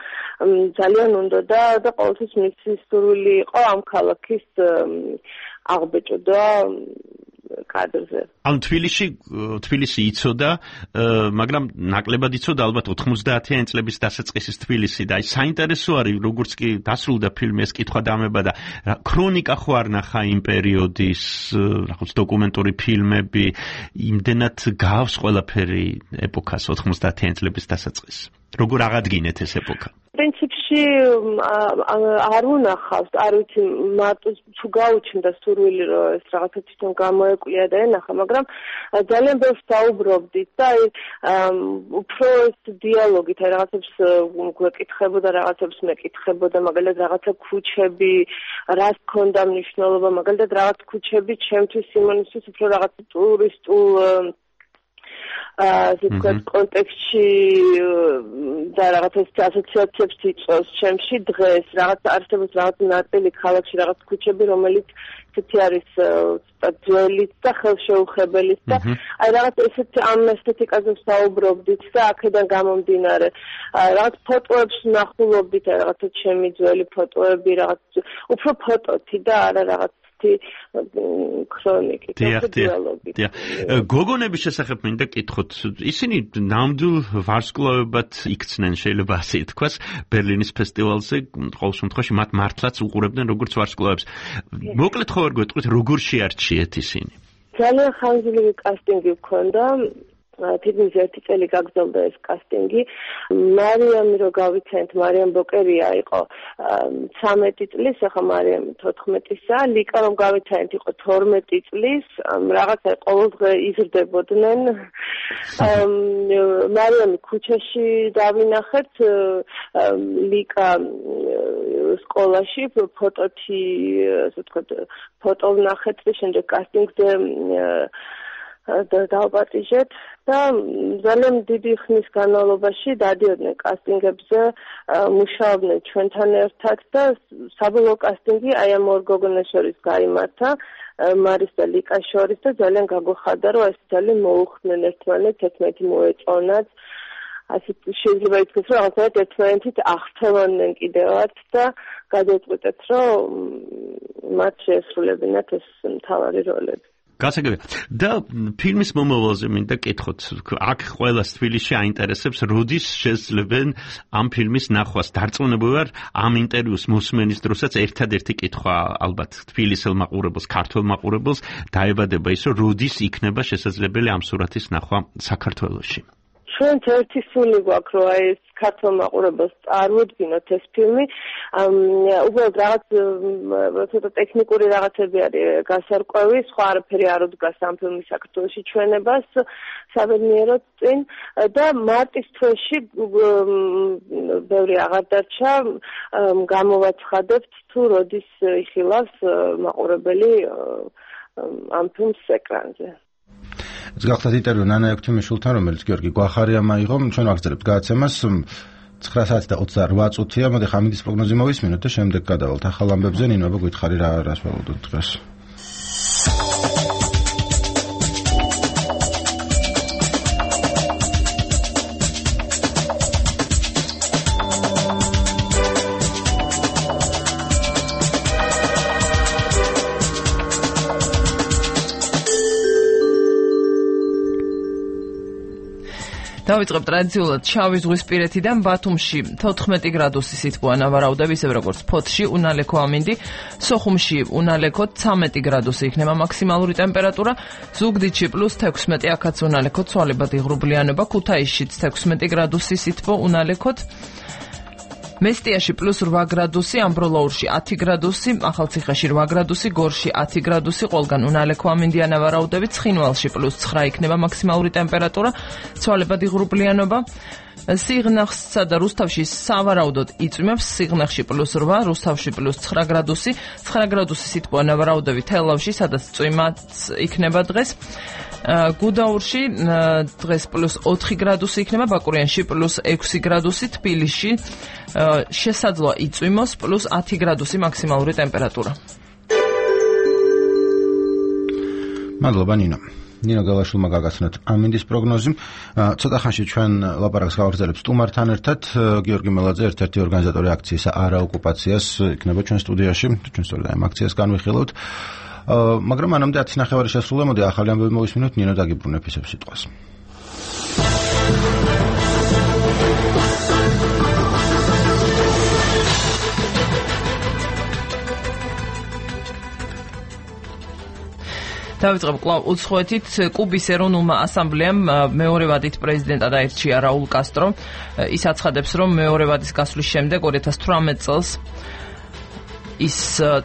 ძალიან უნდა და და ყოველთვის მისი სურვილი იყო ამ ქალაქის აღბეჭდა კადრზე. ან თბილისში თბილისი იცოდა, მაგრამ ნაკლებად იცოდა ალბათ ოთხმოცდაათიანი წლების დასაწყისის თბილისი და აი საინტერესო არის, როგორც კი დასრულდა ფილმი ეს კითხვა დამება და ქრონიკა ხო არ ნახა იმ პერიოდის რაღაც დოკუმენტური ფილმები, იმდენად გავს ყველაფერი ეპოქას ოთხმოცდაათიანი წლების დასაწყისს. როგორ აღადგინეთ ეს ეპოქა? პრინციპში არ უნახავს, არ ვიცი, მარტო თუ გაუჩნდა სურვილი, რომ ეს რაღაცა თვითონ გამოეკვია და ენახა, მაგრამ ძალიან ბევრს საუბრობდით და აი უფრო ეს დიალოგით, აი რაღაცებს გვეკითხებოდა, რაღაცებს მეკითხებოდა, მაგალითად რაღაცა ქუჩები, რას ჰქონდა მნიშვნელობა, მაგალითად რაღაც ქუჩები ჩემთვის სიმონისთვის უფრო რაღაც ტურისტულ ასე ვთქვათ, კონტექსტში და რაღაც ასოციაციებს იწვევს ჩემში დღეს, რაღაც არსებობს რაღაც ნაწილი ქალაქში, რაღაც ქუჩები, რომელიც ისეთი არის ძველიც და ხელშეუხებელიც და აი რაღაც ესეთ ამ ესთეტიკაზე საუბრობდით და აქედან გამომდინარე რაღაც ფოტოებს ვნახულობდით, აი რაღაცა ჩემი ძველი ფოტოები, რაღაც უფრო ფოტოთი და არა რაღაც ქრონიკით, დიალოგი. გოგონების შესახებ მინდა კითხოთ. ისინი ნამდვილ ვარსკვლავებად იქცნენ, შეიძლება ასე ითქვას, ბერლინის ფესტივალზე, ყოველ შემთხვევაში მათ მართლაც უყურებდნენ როგორც ვარსკვლავებს. მოკლედ ხო არ გვეტყვით, როგორ შეარჩიეთ ისინი? ძალიან ხანგრძლივი კასტინგი გქონდა. თითქმის ერთი წელი გაგრძელდა ეს კასტინგი. მარიამი რო გავიცანთ, მარიამ ბოკერია იყო ცამეტი წლის, ახლა მარიამი თოთხმეტისაა, ლიკა რომ გავიცანთ იყო თორმეტი წლის, რაღაცა ყოველდღე იზრდებოდნენ. მარიამი ქუჩაში დავინახეთ, ლიკა სკოლაში ფოტოთი, ასე ვთქვათ, ფოტო ვნახეთ და შემდეგ კასტინგზე და დავაპატიჟეთ და ძალიან დიდი ხნის განმავლობაში დადიოდნენ კასტინგებზე, მუშაობდნენ ჩვენთან ერთად და საბოლოო კასტინგი აი ამ ორ გოგონას შორის გაიმართა, მარის და ლიკას შორის და ძალიან გაგვეხარდა, რომ ეს ძალიან მოუხდნენ ერთმანეთს, ერთმანეთი მოეწონათ. ასე შეიძლება ითქვას, რომ რაღაცნაირად ერთმანეთით აღწევდნენ კიდევაც და გადავწყვიტეთ, რომ მათ შეესრულებინათ ეს მთავარი როლები. გასაგებია. და ფილმის მომავალზე მინდა კითხოთ. აქ ყველას თბილისში აინტერესებს, როდის შესძლებენ ამ ფილმის ნახვას. დარწმუნებული ვარ, ამ ინტერვიუს მოსმენის დროსაც ერთადერთი კითხვა ალბათ თბილისელ მაყურებელს, ქართველ მაყურებელს დაებადება ის, რომ როდის იქნება შესაძლებელი ამ სურათის ნახვა საქართველოში. ჩვენც ერთი სული გვაქვს, რომ აი ეს ქართულ მაყურებელს წარმოუდგინოთ ეს ფილმი. უბრალოდ რაღაც ცოტა ტექნიკური რაღაცები არის გასარკვევი, სხვა არაფერი არ უდგას ამ ფილმის საქართველოში ჩვენებას საბედნიეროდ წინ და მარტის თვეში ბევრი აღარ დარჩა, გამოვაცხადებთ თუ როდის იხილავს მაყურებელი ამ ფილმს ეკრანზე. ეს გახლავთ ინტერვიუ ნანა ექვთიმიშვილთან, რომელიც გიორგი გვახარიამ აიღო. ჩვენ ვაგრძელებთ გადაცემას. ცხრა საათი და ოცდაოთხ წუთია. მოდი ხამინდის პროგნოზი მოვისმინოთ და შემდეგ გადავალთ ახალ ამბებზე. ნინო, გვითხარი რა რას ველოდოთ დღეს. დავიწყებ ტრადიციულად შავი ზღვისპირეთიდან ბათუმში თოთხმეტი გრადუსი სითბო ანავარაუდები, ისე როგორც ფოთში უნალექო ამინდი, სოხუმში უნალექო ცამეტი გრადუსი იქნება მაქსიმალური ტემპერატურა, ზუგდიდში პლუს თექვსმეტი, აქაც უნალექო ცვალებადი ღრუბლიანობა, ქუთაისშიც თექვსმეტი გრადუსი სითბო უნალექოთ. მესტიაში პლუს რვა გრადუსი, ამბროლაურში ათი გრადუსი, ახალციხეში რვა გრადუსი, გორში ათი გრადუსი, ყველგან უნალე ქვამინდიან ვარაუდებით, ცხინვალში პლუს ცხრა იქნება მაქსიმალური ტემპერატურა, ცვალებადი ღრუბლიანობა. სიღნაღსა და რუსთავში სავარაუდოდ იწვიმებს, სიღნაღში პლუს რვა, რუსთავში პლუს ცხრა გრადუსი, ცხრა გრადუსი სითბო ნავარაუდები თელავში, სადაც წვიმაც იქნება დღეს. გუდაურში დღეს პლუს ოთხი გრადუსი იქნება, ბაკურიანში პლუს ექვსი გრადუსი, თბილისში შესაძლოა იწვიმოს პლუს ათი გრადუსი მაქსიმალური ტემპერატურა. მადლობა ნინო. ნინო გელაშვილმა გაგაცნოთ ამინდის პროგნოზი. ცოტა ხანში ჩვენ ლაპარაკს გავაგრძელებ სტუმართან ერთად. გიორგი მელაძე, ერთ-ერთი ორგანიზატორი აქციისა არა ოკუპაციას, იქნება ჩვენ სტუდიაში. ჩვენ სწორედ ამ აქციას განვიხილავთ. მაგრამ მანამდე ათი ნახევარი შესრულა, მოდი ახალი ამბები მოვისმინოთ, ნინო დაგიბრუნებ ისევ სიტყვას. დავიწყებ კვლავ უცხოეთით. კუბის ეროვნულმა ასამბლეამ მეორე ვადით პრეზიდენტად აირჩია რაულ კასტრო. ის აცხადებს, რომ მეორე ვადის გასვლის შემდეგ ორი ათას თვრამეტ წელს ის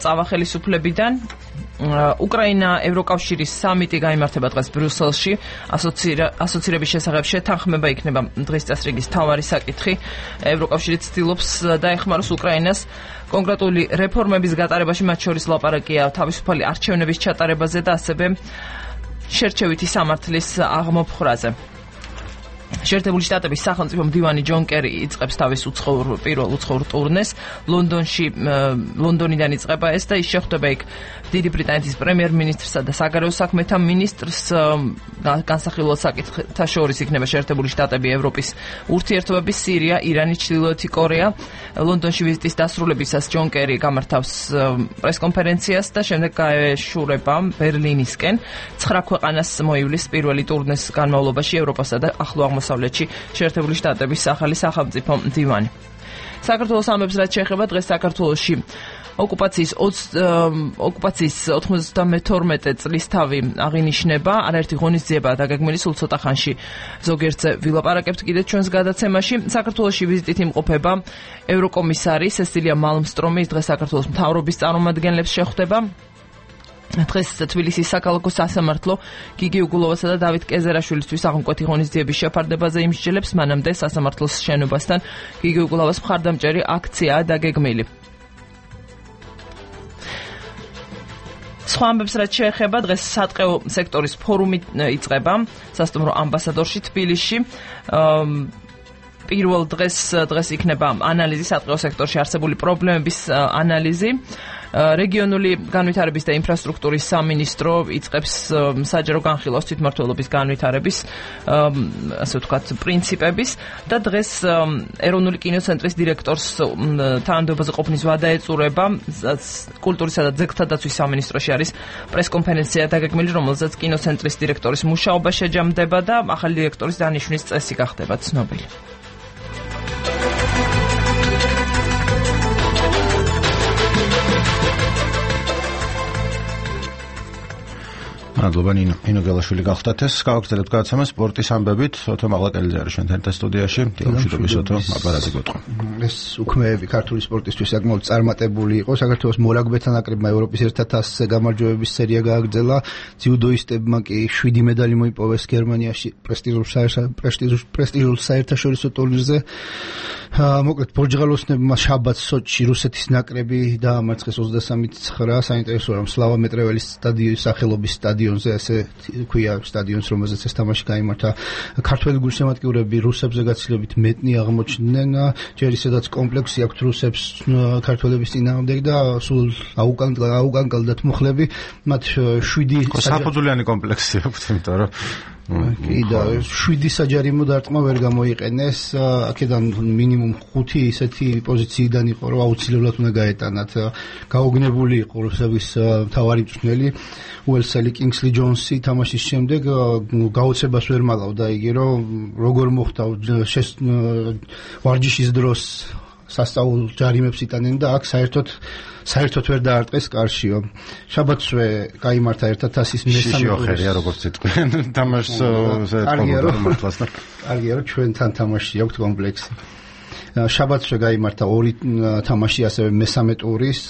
წავა ხელისუფლებიდან. უკრაინა ევროკავშირის სამიტი გაიმართება დღეს ბრიუსელში. ასოცირების შესახებ შეთანხმება იქნება დღის წესრიგის მთავარი საკითხი. ევროკავშირი ცდილობს დაეხმაროს უკრაინას კონკრეტული რეფორმების გატარებაში, მათ შორის ლაპარაკია თავისუფალი არჩევნების ჩატარებაზე და ასევე შერჩევითი სამართლის აღმოფხვრაზე. შეერთებული შტატების სახელმწიფო მდივანი ჯონ კერი იწყებს თავის უცხოურ პირველ უცხოურ ტურნეს. ლონდონში ლონდონიდან იწყება ეს და ის შეხვდება იქ დიდი ბრიტანეთის პრემიერ-მინისტრსა და საგარეო საქმეთა მინისტრს. განსახილველ საკითხთა შორის იქნება შეერთებული შტატები, ევროპის ურთიერთობები, სირია, իրანი, ჩრდილოეთი კორეა. ლონდონში ვიზიტის დასრულებისას ჯონ კერი გამართავს პრესკონფერენციას და შემდეგ გაეშურება ბერლინისკენ. ცხრა ქვეყანას მოივლის პირველი ტურნეს განმავლობაში ევროპასა და ახლო აღმოსავლეთში შეერთებული შტატების ახალი სახელმწიფო მდივანი. საქართველოს ამბებს რაც შეეხება დღეს საქართველოში ოკუპაციის ოკუპაციის ოთხმოცდამეთორმეტე წლის თავი აღინიშნება. არაერთი ღონისძიებაა დაგეგმილი, სულ ცოტა ხანში ზოგიერთზე ვილაპარაკებთ კიდე ჩვენს გადაცემაში. საქართველოში ვიზიტით იმყოფება ევროკომისარი სესილია მალმსტრომი, ის დღეს საქართველოს მთავრობის წარმომადგენლებს შეხვდება. დღეს თბილისის საქალაქო სასამართლო გიგი უგულოვასა და დავით კეზერაშვილისთვის აღმკვეთი ღონისძიების შეფარდებაზე იმსჯელებს. მანამდე სასამართლოს შენობასთან გიგი უგულოვას მხარდამჭერი აქციაა დაგეგმილი. სხვა ამბებს რაც შეეხება, დღეს სატყეო სექტორის ფორუმი იწყება სასტუმრო ამბასადორში თბილისში. პირველ დღეს დღეს იქნება ანალიზი სატყეო სექტორში არსებული პრობლემების ანალიზი. რეგიონული განვითარების და ინფრასტრუქტურის სამინისტრო იწყებს საჯარო განხილვას თვითმმართველობის განვითარების ასე ვთქვათ პრინციპების და დღეს ეროვნული კინოცენტრის დირექტორს თანამდებობაზე ყოფნის ვადა ეწურება. კულტურისა და ძეგლთა დაცვის სამინისტროში არის პრესკონფერენცია დაგეგმილი, რომელზეც კინოცენტრის დირექტორის მუშაობა შეჯამდება და ახალი დირექტორის დანიშვნის წესი გახდება ცნობილი. მადლობა ნინო. ნინო გელაშვილი გახდათ ეს. გავაგრძელებთ გადაცემას სპორტის ამბებით. ოთო მაღლაკელიძე არის ჩვენთან ერთად სტუდიაში. დილამშვიდობის ოთო, აპარატი გეტყვა. ეს უქმეები ქართული სპორტისთვის საკმაოდ წარმატებული იყო. საქართველოს მორაგბეთა ნაკრებმა ევროპის ერთ ათასზე გამარჯვებების სერია გააგრძელა. ძიუდოისტებმა კი შვიდი медали მოიპოვეს გერმანიაში პრესტიჟულ პრესტიჟულ საერთაშორისო ტურნირზე. მოკლედ პორტუგალიოსებმა შაბათს სოჩში რუსეთის ნაკრები დაამარცხეს ოცდასამი ცხრა. საინტერესოა რომ სლავა მეტრეველის სტადიონის სახელობის სტადიონზე, ასე ქვია სტადიონს, რომელზეც ეს თამაში გაიმართა. ქართველი გულშემატკივრები რუსებზე გაცილებით მეტნი აღმოჩნდნენ. ჯერ ისედაც კომპლექსი აქვთ რუსებს ქართველების წინააღმდეგ და სულ აუკანკალდათ მუხლები. მათ შვიდი საფუძვლიანი კომპლექსი აქვთ, იმიტომ რომ კი და შვიდი საჯარიმო დარტყმა ვერ გამოიყენეს. აქედან მინიმუმ ხუთი ისეთი პოზიციიდან იყო, რომ აუცილებლად უნდა გაეტანათ. გაოგნებული იყო რუსების მთავარი მწვრთნელი უელსელი კინგსლი ჯონსი თამაშის შემდეგ გაოცებას ვერ მალავდა იგი, რომ როგორ მოხდა ვარჯიშის დროს სასწაულ ჯარიმებს იტანენ და აქ საერთოდ საერთოდ ვერ დაარტყეს კარშიო. შაბათსვე გაიმართა ერთ ათასის მესამე ოხერია როგორც იტყვიან თამაშს კარგია რომ ჩვენთან თამაში აქვს კომპლექსი. შაბათსვე გაიმართა ორი თამაში, ასევე მესამე ტურის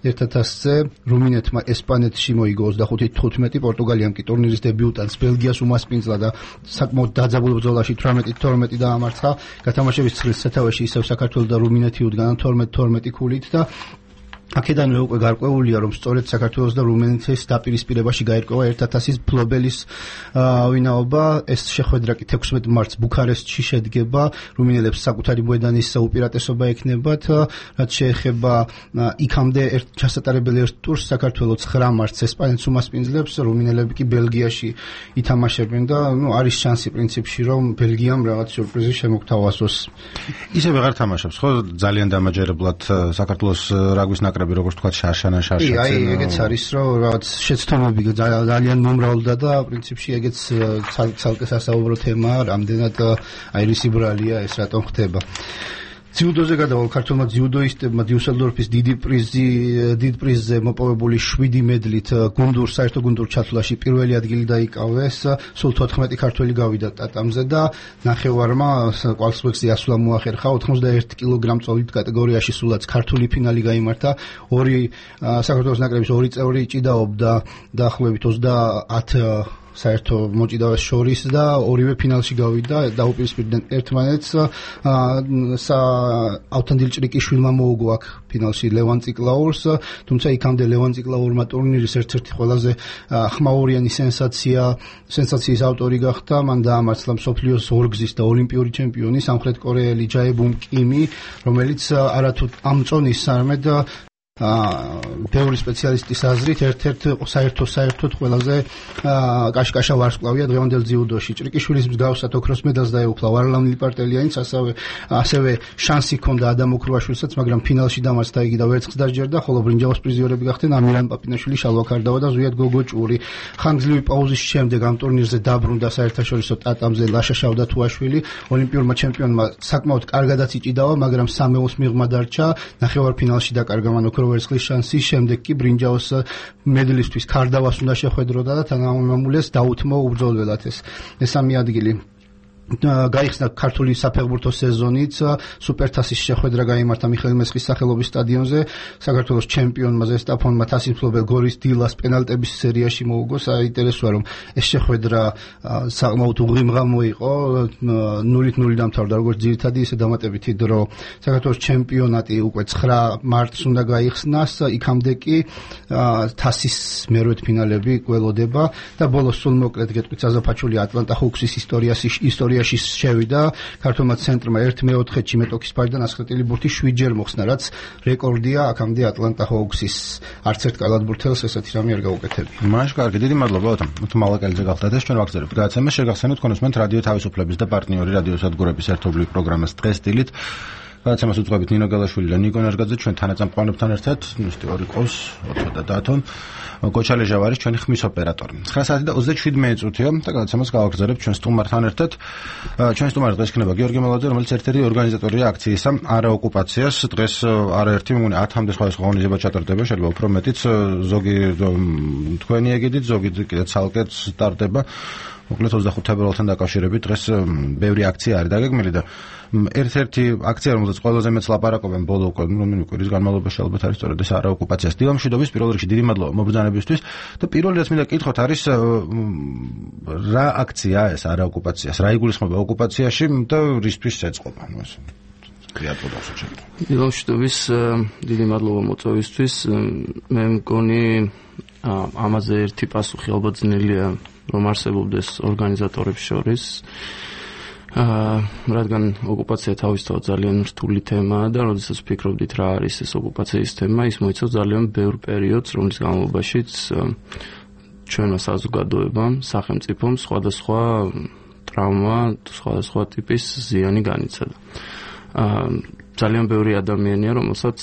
ერთ ათასზე რუმინეთმა ესპანეთში მოიგო ოცდახუთი თხუთმეტი, პორტუგალიამ კი ტურნირის დებიუტანტს ბელგიას უმასპინძლა და საკმაოდ დაძაბულ ბრძოლაში თვრამეტი თორმეტი დაამარცხა. გათამაშების ცხრილ სათავეში ისევ საქართველო და რუმინეთი უდგანან თორმეტ თორმეტი ქულით და აქედანვე უკვე გარკვეულია, რომ სწორედ საქართველოს და რუმინეთის დაპირისპირებაში გაირკვევა ერთ ათასის ფლობელის ვინაობა. ეს შეხვედრა კი თექვსმეტ მარტს ბუქარესტში შედგება. რუმინელებს საკუთარი მოედანის უპირატესობა ექნებათ, რაც შეეხება იქამდე ერთ ჩასატარებელი ერთ ტურს საქართველო ცხრა მარტს ესპანეთს უმასპინძლებს, რუმინელები კი ბელგიაში ითამაშებენ და ნუ არის შანსი პრინციპში, რომ ბელგიამ რაღაც სიურპრიზი შემოგთავაზოს. ისე ვეღარ თამაშობს, ხო? ძალიან დამაჯერებლად საქართველოს რაგბის ნაკრები როგორც თქვა შარშანა შარშაძე. აი, ეგეც არის, რომ რაღაც შეცდომები ძალიან მომრავლდა და პრინციპში ეგეც ცალკე სასაუბრო თემაა, რამდენად აირისი ბრალია ეს რატომ ხდება. ძიუდოზე გადავალ ქართულმა ძიუდოისტებმა დიუსელდორფის დიდი პრიზი დიდ პრიზზე მოპოვებული შვიდი მედლით გუნდურ საერთო გუნდურ ჩათვლაში პირველი ადგილი დაიკავეს. სულ თოთხმეტი ქართველი გავიდა ტატამზე და ნახევარმა კვალიფიკაციაში ასვლა მოახერხა. ოცდაერთი კილოგრამ-წოლით კატეგორიაში სულაც ქართული ფინალი გაიმართა. ორი საქართველოს ნაკრების ორი წევრი ჭიდაობდა დაახლოებით ოცდაათი საერთო მოჭიდავეს შორის და ორივე ფინალში გავიდა, დაუპირისპირდნენ ერთმანეთს. ავთან დილჭრიკიშვილმა მოუგო აქ ფინალში ლევან ციკლაურს, თუმცა იქამდე ლევან ციკლაურმა ტურნირის ერთ-ერთი ყველაზე ხმაურიანი სენსაცია, სენსაციის ავტორი გახდა. მან დაამარცხა მსოფლიოს ორგზის და ოლიმპიური ჩემპიონი სამხრეთ კორეელი ჯაებუმ კიმი, რომელიც არათუ ამ წონის სამედ ბევრი სპეციალისტის აზრით ერთ-ერთ საერთო საერთოდ ყველაზე კაშკაშა ვარსკვლავია დღევანდელ ძიუდოში. ჭრიკიშვილის მსგავსად ოქროს მედალს დაეუფლა ვარლამ ლიპარტელიანიც, ასევე ასევე შანსი ჰქონდა ადამ ოქროაშვილსაც, მაგრამ ფინალში დამარცხდა იგი და ვერცხლს დაჯერდა, ხოლო ბრინჯაოს პრიზიორები გახდნენ ამირან პაპინაშვილი, შალვა ქარდავა და ზვიად გოგოჭური. ხანგრძლივი პაუზის შემდეგ ამ ტურნირზე დაბრუნდა საერთაშორისო ტატამზე ლაშა შავდათუაშვილი. ოლიმპიურმა ჩემპიონმა საკმაოდ კარგადაც იჭიდავა, მაგრამ სამეულს მიღმა დარჩა. ნახევარფინალში დაკარგა მან ვერცხლის შანსი, შემდეგ კი ბრინჯაოს მედლისთვის ქარდავას უნდა შეხვედროდა და თანამამულეს დაუთმო უბრძოლველად ეს მესამე ადგილი. გაიხსნა ქართული საფეხბურთო სეზონიც, სუპერთასის შეხვედრა გაიმართა მიხეილ მესხის სახელობის სტადიონზე. საქართველოს ჩემპიონმა ზესტაფონმა თასის მფლობელ გორის დილას პენალტების სერიაში მოუგო. საინტერესოა, რომ ეს შეხვედრა საკმაოდ უღრიმღამო იყო, ნულით ნული დამთავრდა როგორც ძირითადი, ისე დამატებითი დრო. საქართველოს ჩემპიონატი უკვე ცხრა მარტს უნდა გაიხსნას, იქამდე კი თასის მერვედ ფინალები გველოდება და ბოლოს სულ მოკლედ გეტყვით საზაფაჩული ატლანტა ჰოუქსის ისტორიაში ისტორიაში შევიდა. ქართულმა ცენტრმა ერთ მეოთხედში მეტოქის ფარიდან ასხეტილი ბურთი შვიდჯერ მოხსნა, რაც რეკორდია აქამდე ატლანტა ჰოუქსის. არც ერთ კალათბურთელს ესეთი რამე არ გაუკეთებია. მაშ კარგი, დიდი მადლობა ოთო მალაკელიძე გახდათ. ეს ჩვენ ვაგზავნებთ გადაცემას, შეგახსენოთ კონსუმენტ რადიო თავისუფლების და პარტნიორი რადიო სადგურების ერთობლივი პროგრამას დღეს დილით. გადაცემას უძღვებით ნინო გალაშვილი და ნიკო ნარგაძე, ჩვენ თანაწამყვანებთან ერთად, ნუსტი ორი ყავს, ოთო და დათო. გოჩალე ჟავარის ჩვენი ხმის ოპერატორი. ცხრა საათი და ოცდაშვიდი წუთია და გადაცემას გავაგრძელებთ ჩვენ სტუმართან ერთად. ჩვენ სტუმარი დღეს იქნება გიორგი მელაძე, რომელიც ერთ-ერთი ორგანიზატორია აქციისა არაოკუპაციას. დღეს არაერთი მეგონი ათამდე სხვადასხვა ღონისძიება ჩატარდება, შეიძლება უფრო მეტიც, ზოგი თქვენი ეგიდით, ზოგი კიდე ცალკეც სტარტდება. მოკლედ ოცდახუთი თებერვალთან დაკავშირებით დღეს ბევრი აქცია არის დაგეგმილი და ერთ-ერთი აქცია, რომელზეც ყველაზე მეც ლაპარაკობენ ბოლო რომელი კვირის განმავლობაში ალბათ არის სწორედ ეს არაოკუპაციას დილამშვიდობის პირველ რიგში დიდი მადლობა მობრძანებისთვის და პირველი რაც მინდა კითხოთ არის რა აქციაა ეს არაოკუპაციას, რა იგულისხმება ოკუპაციაში და რისთვის ეწყობა ნუ ეს დილამშვიდობის დიდი მადლობა მოწვევისთვის. მე მგონი ამაზე ერთი პასუხი ალბათ ძნელია რომ არსებობდეს ორგანიზატორებს შორის, რადგან ოკუპაცია თავისთავად ძალიან რთული თემაა და როდესაც ვფიქრობდით რა არის ეს ოკუპაციის თემა, ის მოიცავს ძალიან ბევრ პერიოდს, რომლის განმავლობაშიც ჩვენმა საზოგადოებამ, სახელმწიფომ სხვადასხვა ტრავმა, სხვადასხვა ტიპის ზიანი განიცადა. ძალიან ბევრი ადამიანია, რომელსაც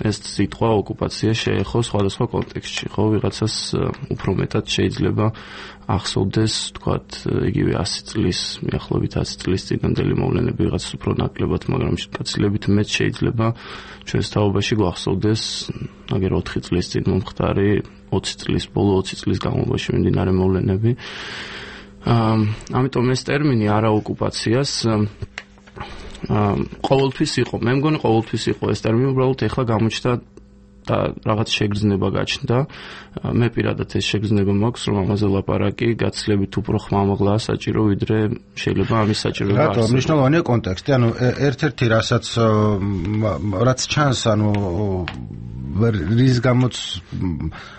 ეს სიტყვა ოკუპაცია შეეხო სხვადასხვა კონტექსტში, ხო, ვიღაცას უფრო მეტად შეიძლება ახსოვდეს, თქვათ, იგივე ასი წლის, მიახლოებით ასი წლის წინანდელი მოვლენები, ვიღაცას უფრო ნაკლებად, მაგრამ გაცილებით მეც შეიძლება ჩვენს თაობაში გვახსოვდეს, აგერ ოთხი წლის წინ მომხდარი, ოცი წლის, ბოლო ოცი წლის განმავლობაში მიმდინარე მოვლენები. ამიტომ ეს ტერმინი არაოკუპაციას ყოველთვის იყო. მე მგონი ყოველთვის იყო ეს ტერმინი, უბრალოდ ეხლა გამოჩნდა და რაღაც შეგრძნება გაჩნდა. მე პირადად ეს შეგრძნება მაქვს, რომ ამაზე ლაპარაკი გაცილებით უფრო ხმამაღლაა საჭირო, ვიდრე შეიძლება ამის საჭიროება არსებობს. რატო მნიშვნელოვანია კონტექსტი, ანუ ერთ-ერთი რასაც რაც ჩანს, ანუ რის გამოც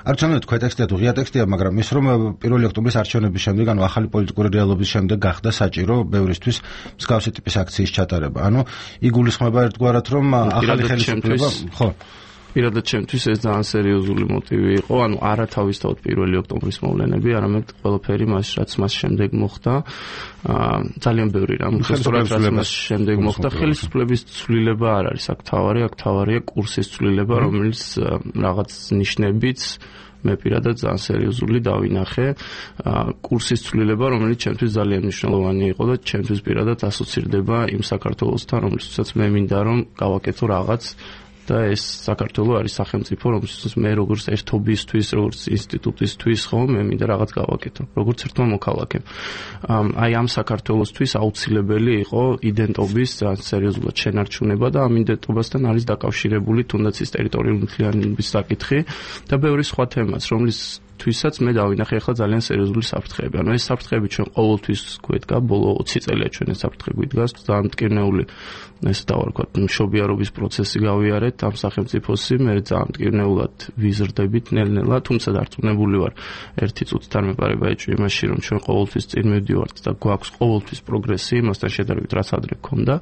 არ ჩანდა თქვა ტექსტია თუ ღია ტექსტია, მაგრამ ის რომ პირველი ოქტომბრის არჩევნების შემდეგ, ანუ ახალი პოლიტიკური რეალობის შემდეგ გახდა საჭირო ბევრისთვის მსგავსი ტიპის აქციის ჩატარება. ანუ იგულისხმება ერთგვარად რომ ახალი ხელისუფლება, ხო პირადად ჩემთვის ეს ძალიან სერიოზული მოტივი იყო, ანუ არა თავისთავად პირველი ოქტომბრის მოვლენები, არამედ ყველაფერი მას რაც მას შემდეგ მოხდა, ძალიან ბევრი რამ, სწორად რაც მას შემდეგ მოხდა, ხელისუფლების ცვლილება არ არის აქ თავარი, აქ თავარია კურსის ცვლილება, რომელიც რაღაც ნიშნებით მე პირადად ძალიან სერიოზული დავინახე კურსის ცვლილება, რომელიც ჩემთვის ძალიან მნიშვნელოვანი იყო და ჩემთვის პირადად ასოცირდება იმ საქართველოსთან, რომელსაც მე მინდა რომ გავაკეთო რაღაც და ეს საქართველო არის სახელმწიფო, რომელსაც მე როგორც ერთობისთვის, როგორც ინსტიტუტისთვის ხო მე მინდა რაღაც გავაკეთო, როგორც ერთმა მოქალაქემ. აი ამ საქართველოსთვის აუცილებელი იყო იდენტობის ძალიან სერიოზულად შენარჩუნება და ამ იდენტობასთან არის დაკავშირებული თუნდაც ის ტერიტორიული მთლიანობის საკითხი და ბევრი სხვა თემაც, რომლის თვისაც მე დავინახე ახლა ძალიან სერიოზული საფრთხეები. ანუ ეს საფრთხეები ჩვენ ყოველთვის გვედგა, ბოლო ოცი წელია ჩვენ ეს საფრთხე გვიდგას, ძალიან მტკივნეული ესე დავარქვათ, მშობიარობის პროცესი გავიარეთ ამ სახელმწიფოსი, მე ძალიან მტკივნეულად ვიზრდებით ნელ-ნელა, თუმცა დარწმუნებული ვარ, ერთი წუთით არ მეპარება ეჭვი იმაში, რომ ჩვენ ყოველთვის წინ მივდივართ და გვაქვს ყოველთვის პროგრესი, იმასთან შედარებით რაც ადრე გქონდა.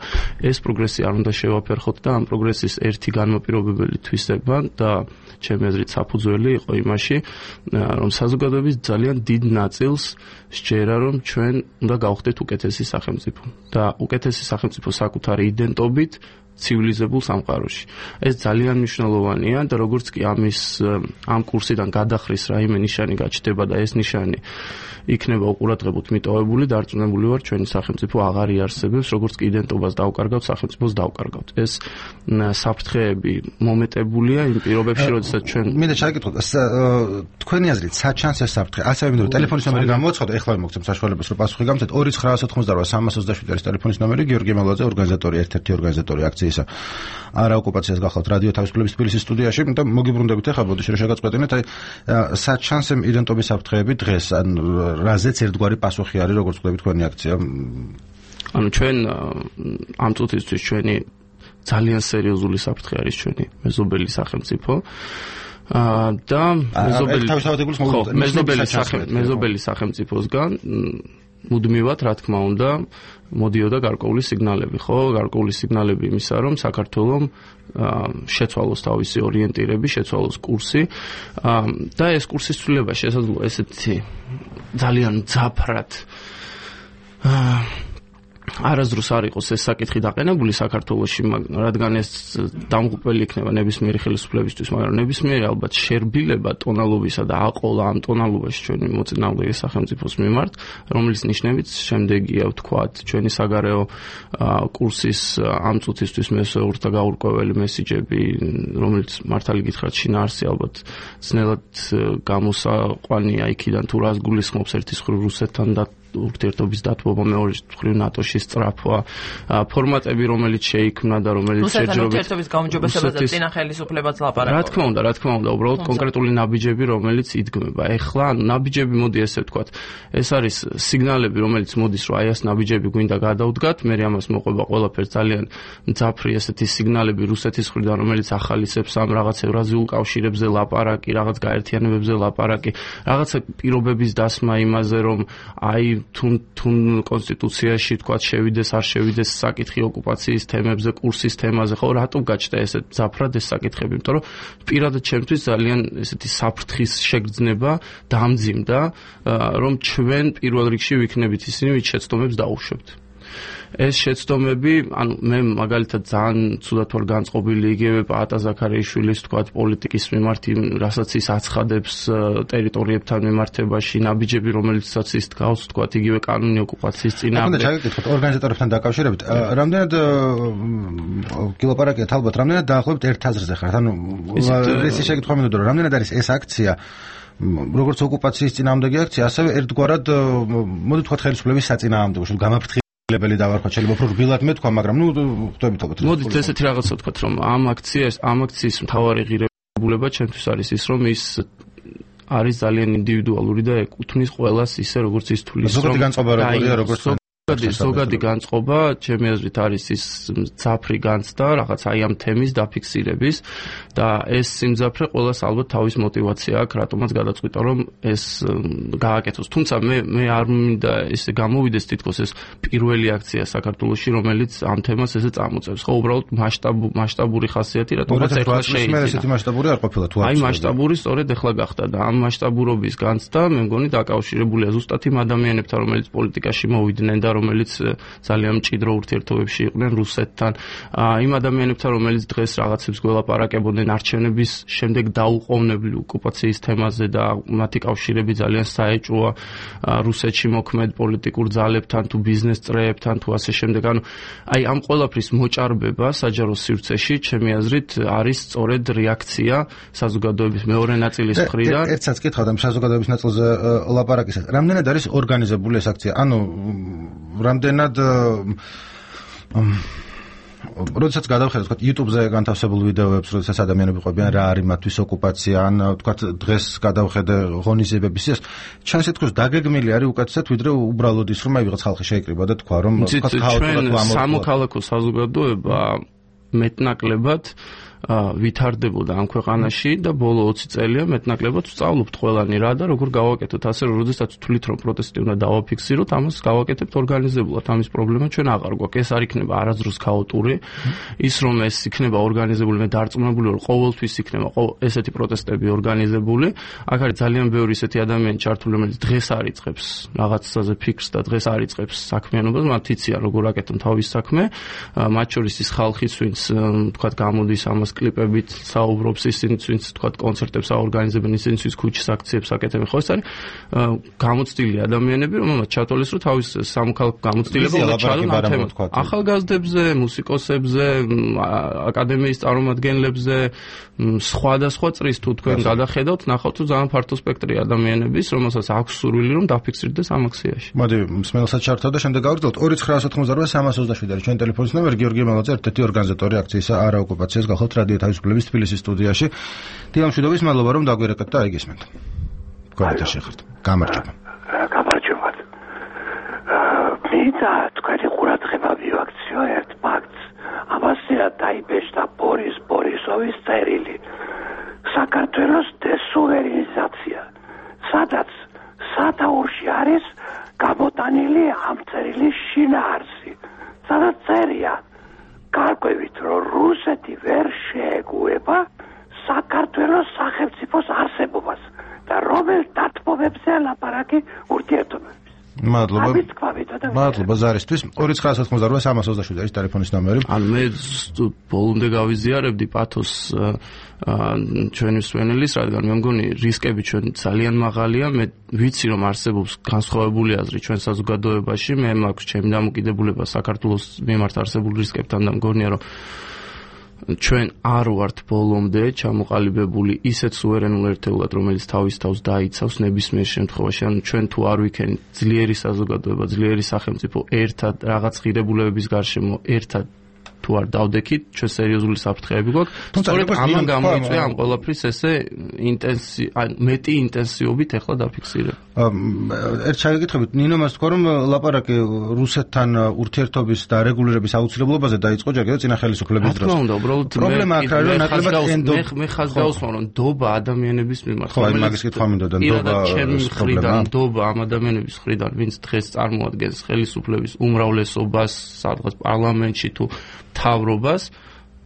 ეს პროგრესი არ უნდა შევაფერხოთ და ამ პროგრესის ერთი განმაპირობებელი თვისება და ჩემი აზრით საფუძველი იყო იმაში, რომ საზოგადოების ძალიან დიდ ნაწილს სჯერა, რომ ჩვენ უნდა გავხდეთ უკეთესი სახელმწიფო და უკეთესი სახელმწიფო საკუთარი იდენტობით ცივილიზებულ სამყაროში. ეს ძალიან მნიშვნელოვანია და როგორც კი ამის ამ კურსიდან გადახრის რაიმე ნიშანი გაჩნდება და ეს ნიშანი იქნება უყურადღებოთ მიტოვებული, დარწმუნებული ვარ, ჩვენი სახელმწიფო აღარ იარსებებს, როგორც კი იდენტობას დავკარგავთ, სახელმწიფოს დავკარგავთ. ეს საფრთხეები მომეტებულია იმ პირობებში, როდესაც ჩვენ მინდა ჩაგეკითხოთ, თქვენი აზრით, საჩანს ეს საფრთხე? ასევე მინდა ტელეფონის ნომერი გამოვაცხადო, ეხლა მოგცემ საშუალებას, რომ პასუხი გამცეთ ორი ცხრა ათოთხმოცდაოთხ სამას ოცდაშვიდი არის ტელეფონის ნომერი, გიორგი მელაძე, ორგანიზატორი, ერთ-ერთი ორგანიზატორი აქციისა არა ოკუპაციას გახლავთ რადიო თავისუფლების თბილისის სტუდიაში და მოგიბრუნდებით ახლა ბოდიში რომ შეგაწყვეტინეთ აი საჩანს იდენტობის საფრთხეები დღეს ან რაზეც ერთგვარი პასუხი არის როგორც ხვდებით თქვენი აქცია ანუ ჩვენ ამ წუთისთვის ჩვენი ძალიან სერიოზული საფრთხე არის ჩვენი მეზობელი სახელმწიფო და მეზობელი სახელმწიფოსგან მუდმივად რა თქმა უნდა მოდიოდა გარკვეული სიგნალები, ხო? გარკვეული სიგნალები იმისა, რომ საქართველოს შეცვალოს თავისი ორიენტირები, შეცვალოს კურსი და ეს კურსის ცვლილება შესაძლოა ესეთი ძალიან მძაფრად არასდროს არ იყოს ეს საკითხი დაყენებული საქართველოში, რადგან ეს დამღუპველი იქნება ნებისმიერი ხელისუფლებისთვის, მაგრამ ნებისმიერი ალბათ შერბილება ტონალობისა და აყოლა ამ ტონალობაში ჩვენი მოწინააღმდეგე სახელმწიფოს მიმართ, რომლის ნიშნებიც შემდეგია ვთქვათ, ჩვენი საგარეო კურსის ამ წუთისთვის მესეურთა გაურკვეველი მესიჯები, რომელიც მართალი გითხრათ შინაარსი ალბათ ძნელად გამოსაყვანია იქიდან თუ რას გულისხმობს ერთის მხრივ რუსეთთან და ურთიერთობის დათბობა, მეორე მხრივ ნატოში სწრაფვა, ფორმატები, რომელიც შეიქმნა და რომელიც შეჯერებით ურთიერთობის გაუმჯობესებაზე წინა ხელისუფლებაც ლაპარაკობს. რა თქმა უნდა, რა თქმა უნდა, უბრალოდ კონკრეტული ნაბიჯები, რომელიც იდგმება. ეხლა ნაბიჯები მოდი ესე ვთქვათ, ეს არის სიგნალები, რომელიც მოდის, რომ აი ეს ნაბიჯები გვინდა გადავდგათ, მე ამას მოყვება ყველაფერს ძალიან მძაფრი ესეთი სიგნალები რუსეთის მხრიდან, რომელიც ახალისებს ამ რაღაც ევრაზიულ კავშირებზე ლაპარაკი, რაღაც გაერთიანებებზე ლაპარაკი, რაღაცა პირობების დასმა იმაზე, რომ აი თუნ თუნ კონსტიტუციაში თქვა შევიდეს არ შევიდეს საკითხი ოკუპაციის თემებზე, კურსის თემაზე, ხო, რატომ გაჩნდა ესეთ ზაფრად ეს საკითხები? იმიტომ რომ პირადად ჩემთვის ძალიან ესეთი საფრთხის შეგრძნება დამძიმდა, რომ ჩვენ პირველ რიგში ვიქნებით ისინი, ვინც შეცდომებს დაუშვებთ. ეს შეცდომები, ანუ მე მაგალითად ძალიან ცუდად ვარ განწყობილი იგივე პაატა ზაქარიაშვილის თქვათ პოლიტიკის მიმართ, რასაც ის აცხადებს ტერიტორიებთან მიმართებაში, ნაბიჯები, რომელიცაც ის თქავს, თქვათ იგივე კანონი ოკუპაციის წინააღმდეგ. ახლა ჩაგეკითხოთ ორგანიზატორებთან დაკავშირებით, რამდენად კილოპარაკიათ ალბათ, რამდენად დაახლოებით ერთ აზრზე ხართ? ანუ ეს შეკითხვა მინდოდა, რომ რამდენად არის ეს აქცია როგორც ოკუპაციის წინააღმდეგი აქცია, ასევე ერთგვარად მოდი თქვათ ხელისუფლების საწინააღმდეგო, გამაფრთხილებელი ლებელი დავარქვა, შეიძლება უფრო რბილად მეთქვა, მაგრამ ნუ ხვდებით ალბათ. მოდით ესეთი რაღაცა ვთქვათ, რომ ამ აქციას, ამ აქციის მთავარი ღირებულება ჩემთვის არის ის, რომ ის არის ძალიან ინდივიდუალური და ეკუთვნის ყველას ისე როგორც ის თulis რომ ზოგადი განწყობა როგორია, როგორც ზოგადი ზოგადი განწყობა ჩემი აზრით არის ის ძაფრი განცდა რაღაც აი ამ თემის დაფიქსირების და ეს სიმძაფრე ყველას ალბათ თავის мотиваცია აქვს რატომაც გადაწყვიტა რომ ეს გააკეთოს. თუმცა მე მე არ მინდა ესე გამოვიდეს თითქოს ეს პირველი აქცია საქართველოში რომელიც ამ თემას ესე წამოწევს. ხო უბრალოდ მასშტაბ მასშტაბური ხასიათი რატომაც ეხლა შეიძლება. მე ესეთი მასშტაბური არ ყოფილა თუ არ. აი მასშტაბური სწორედ ეხლა გახდა და ამ მასშტაბურობის განცდა მე მგონი დაკავშირებულია ზუსტად იმ ადამიანებთან რომელიც პოლიტიკაში მოვიდნენ და რომელიც ძალიან მჭიდრო ურთიერთობებში იყვნენ რუსეთთან, იმ ადამიანებთან რომელიც დღეს რაღაცებს გველაპარაკებოდნენ არჩევნების შემდეგ დაუყოვნებლივ ოკუპაციის თემაზე და მათი კავშირები ძალიან საეჭვოა რუსეთში მოქმედ პოლიტიკურ ძალებთან თუ ბიზნეს წრეებთან თუ ასე შემდეგ. ანუ აი ამ ყველაფრის მოჭარბება საჯარო სივრცეში ჩემი აზრით არის სწორედ რეაქცია საზოგადოების მეორე ნაწილის მხრიდან. ერთსაც კითხავთ ამ საზოგადოების ნაწილზე ლაპარაკისას. რამდენად არის ორგანიზებული ეს აქცია? ანუ რამდენად როდესაც გადავხედოთ თქვა YouTube-ზე განთავსებულ ვიდეოებს, როდესაც ადამიანები ყვებიან რა არის მათთვის ოკუპაცია, ან თქვა დღეს გადავხედე ღონისძიებების ის, ჩანს თქოს დაგეგმილი არის უკეთესად ვიდრე უბრალოდ ის რომ აი ვიღაც ხალხი შეიკრიბა და თქვა რომ თქვა ქაოტურად ამოწურა. სამოქალაქო საზოგადოება მეტნაკლებად ვითარდებოდა ამ ქვეყანაში და ბოლო ოცი წელია მეტნაკლებად ვსწავლობთ ყველანი რა და როგორ გავაკეთოთ ასე რომ როდესაც თვლით რომ პროტესტი უნდა დავაფიქსიროთ ამას გავაკეთებთ ორგანიზებულად ამის პრობლემა ჩვენ აღარ გვაქვს ეს არ იქნება არასდროს ქაოტური ის რომ ეს იქნება ორგანიზებული მე დარწმუნებული რომ ყოველთვის იქნება ესეთი პროტესტები ორგანიზებული აქ არის ძალიან ბევრი ისეთი ადამიანი ჩართული რომელიც დღეს არიწყებს რაღაცაზე ფიქრს და დღეს არიწყებს საქმიანობას მათ იციან როგორ აკეთონ თავის საქმე მათ შორის ის ხალხიც ვინც თქვა გამოდის ამას კლიპებით საუბრობს ისინიც ვინც თქვა კონცერტებს აორგანიზებენ ისინიც ვინც ქუჩის აქციებს აკეთებენ ხო ეს არის გამოცდილი ადამიანები რომელმაც ჩათვალეს რომ თავის სამოქალაქო გამოცდილება უნდა ჩადონ ამ თემას ახალგაზრდებზე მუსიკოსებზე აკადემიის წარმომადგენლებზე სხვადასხვა წრის თუ თქვენ გადახედავთ ნახავთ რომ ძალიან ფართო სპექტრი ადამიანების რომელსაც აქვს სურვილი რომ დაფიქსირდეს ამ აქციაში მოდი მსმენელსაც ჩართავ და შემდეგ გავაგრძელოთ ორი ცხრა ოთხმოცდაოთხი სამას ოცდაშვიდი არის ჩვენი ტელეფონის ნომერი გიორგი მელაძე ერთ-ერთი ორგანიზატორი აქციის არა ოკუპაციას გახავთ რადიო თავისუფლების თბილისის სტუდიაში დილამშვიდობის მადლობა რომ დაგვირეკეთ და აიგისმენთ გვერდით შეხართ გამარჯობა გამარჯობა მინდა თქვენი ყურადღება მივაქციო ერთ ფაქტს ამასია დაიბეჭდა ბორის ბორისოვის წერილი საქართველოს დესუვერენიზაცია სადაც სათაურში არის გამოტანილი ამ წერილის შინაარსი სადაც წერია გარკვევით რომ რუსეთი ვერ შეეგუება საქართველოს სახელმწიფოს არსებობას და რომელ დათმობებზე ლაპარაკი ურთიერთობების მადლობა მადლობა ზარისთვის ორი ცხრა ოთხმოცდაოთხი სამას ოცდაშვიდი არის ტელეფონის ნომერი ან მე ბოლომდე გავიზიარებდი პათოს ჩვენი მსმენელის რადგან მე მგონი რისკები ჩვენ ძალიან მაღალია მე ვიცი რომ არსებობს განსხვავებული აზრი ჩვენ საზოგადოებაში მე მაქვს ჩემი დამოკიდებულება საქართველოს მიმართ არსებულ რისკებთან და მგონია რომ ჩვენ არ ვართ ბოლომდე ჩამოყალიბებული ისეთ სუვერენულ ერთეულად რომელიც თავის თავს დაიცავს ნებისმიერ შემთხვევაში ანუ ჩვენ თუ არ ვიქენით ძლიერი საზოგადოება ძლიერი სახელმწიფო ერთად რაღაც ღირებულებების გარშემო ერთად თუ არ დავდექით ჩვენ სერიოზული საფრთხეები გვაქვს სწორედ ამან გამოიწვია ამ ყველაფრის ესე ინტენსი მეტი ინტენსივობით ახლა დაფიქსირება ერთ შეგეკითხებით ნინო მას თქვა რომ ლაპარაკი რუსეთთან ურთიერთობის და რეგულირების აუცილებლობაზე დაიწყო ჯერ კიდევ წინა ხელისუფლების დროს. თქმა უნდა, უბრალოდ პრობლემა აქ არის რომ ნაკლებად ენდო მე ხაზ გავუსმენ რომ დობა ადამიანების მიმართ. ხო, მაგის კითხვა მინდოდა დობა მხრიდან, დობა ამ ადამიანების მხრიდან, ვინც დღეს წარმოადგენს ხელისუფლების უმრავლესობას სადღაც პარლამენტში თუ მთავრობას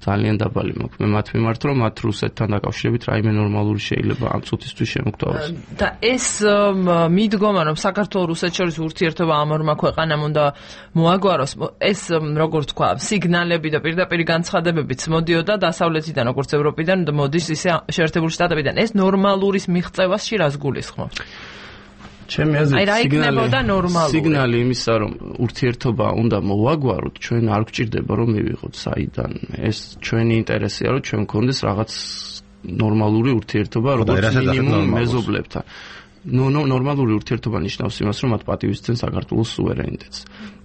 ძალიან დაბალი მაქვს მე მათ მიმართ რომ მათ რუსეთთან დაკავშირებით რაიმე ნორმალური შეიძლება ამ წუთისთვის შემოგთავაზოს და ეს მიდგომა რომ საქართველოს რუსეთს შორის ურთიერთობა ამ ორმა ქვეყანამ უნდა მოაგვაროს ეს როგორ თქვა სიგნალები და პირდაპირ განცხადებებიც მოდიოდა დასავლეთიდან როგორც ევროპიდან და მოდის ისე შეერთებული შტატებიდან ეს ნორმალურის მიღწევაში რას გულისხმობს ჩემი აზრით სიგნალი სიგნალი იმისა რომ ურთიერთობა უნდა მოვაგვაროთ ჩვენ არ გვჭირდება რომ მივიღოთ საიდან ეს ჩვენი ინტერესია რომ ჩვენ გქონდეს რაღაც ნორმალური ურთიერთობა როგორც მინიმუმ მეზობლებთან ნო ნო ნორმალური ურთიერთობა ნიშნავს იმას, რომ მათ პატივისცემ საქართველოს სუვერენიტეტს.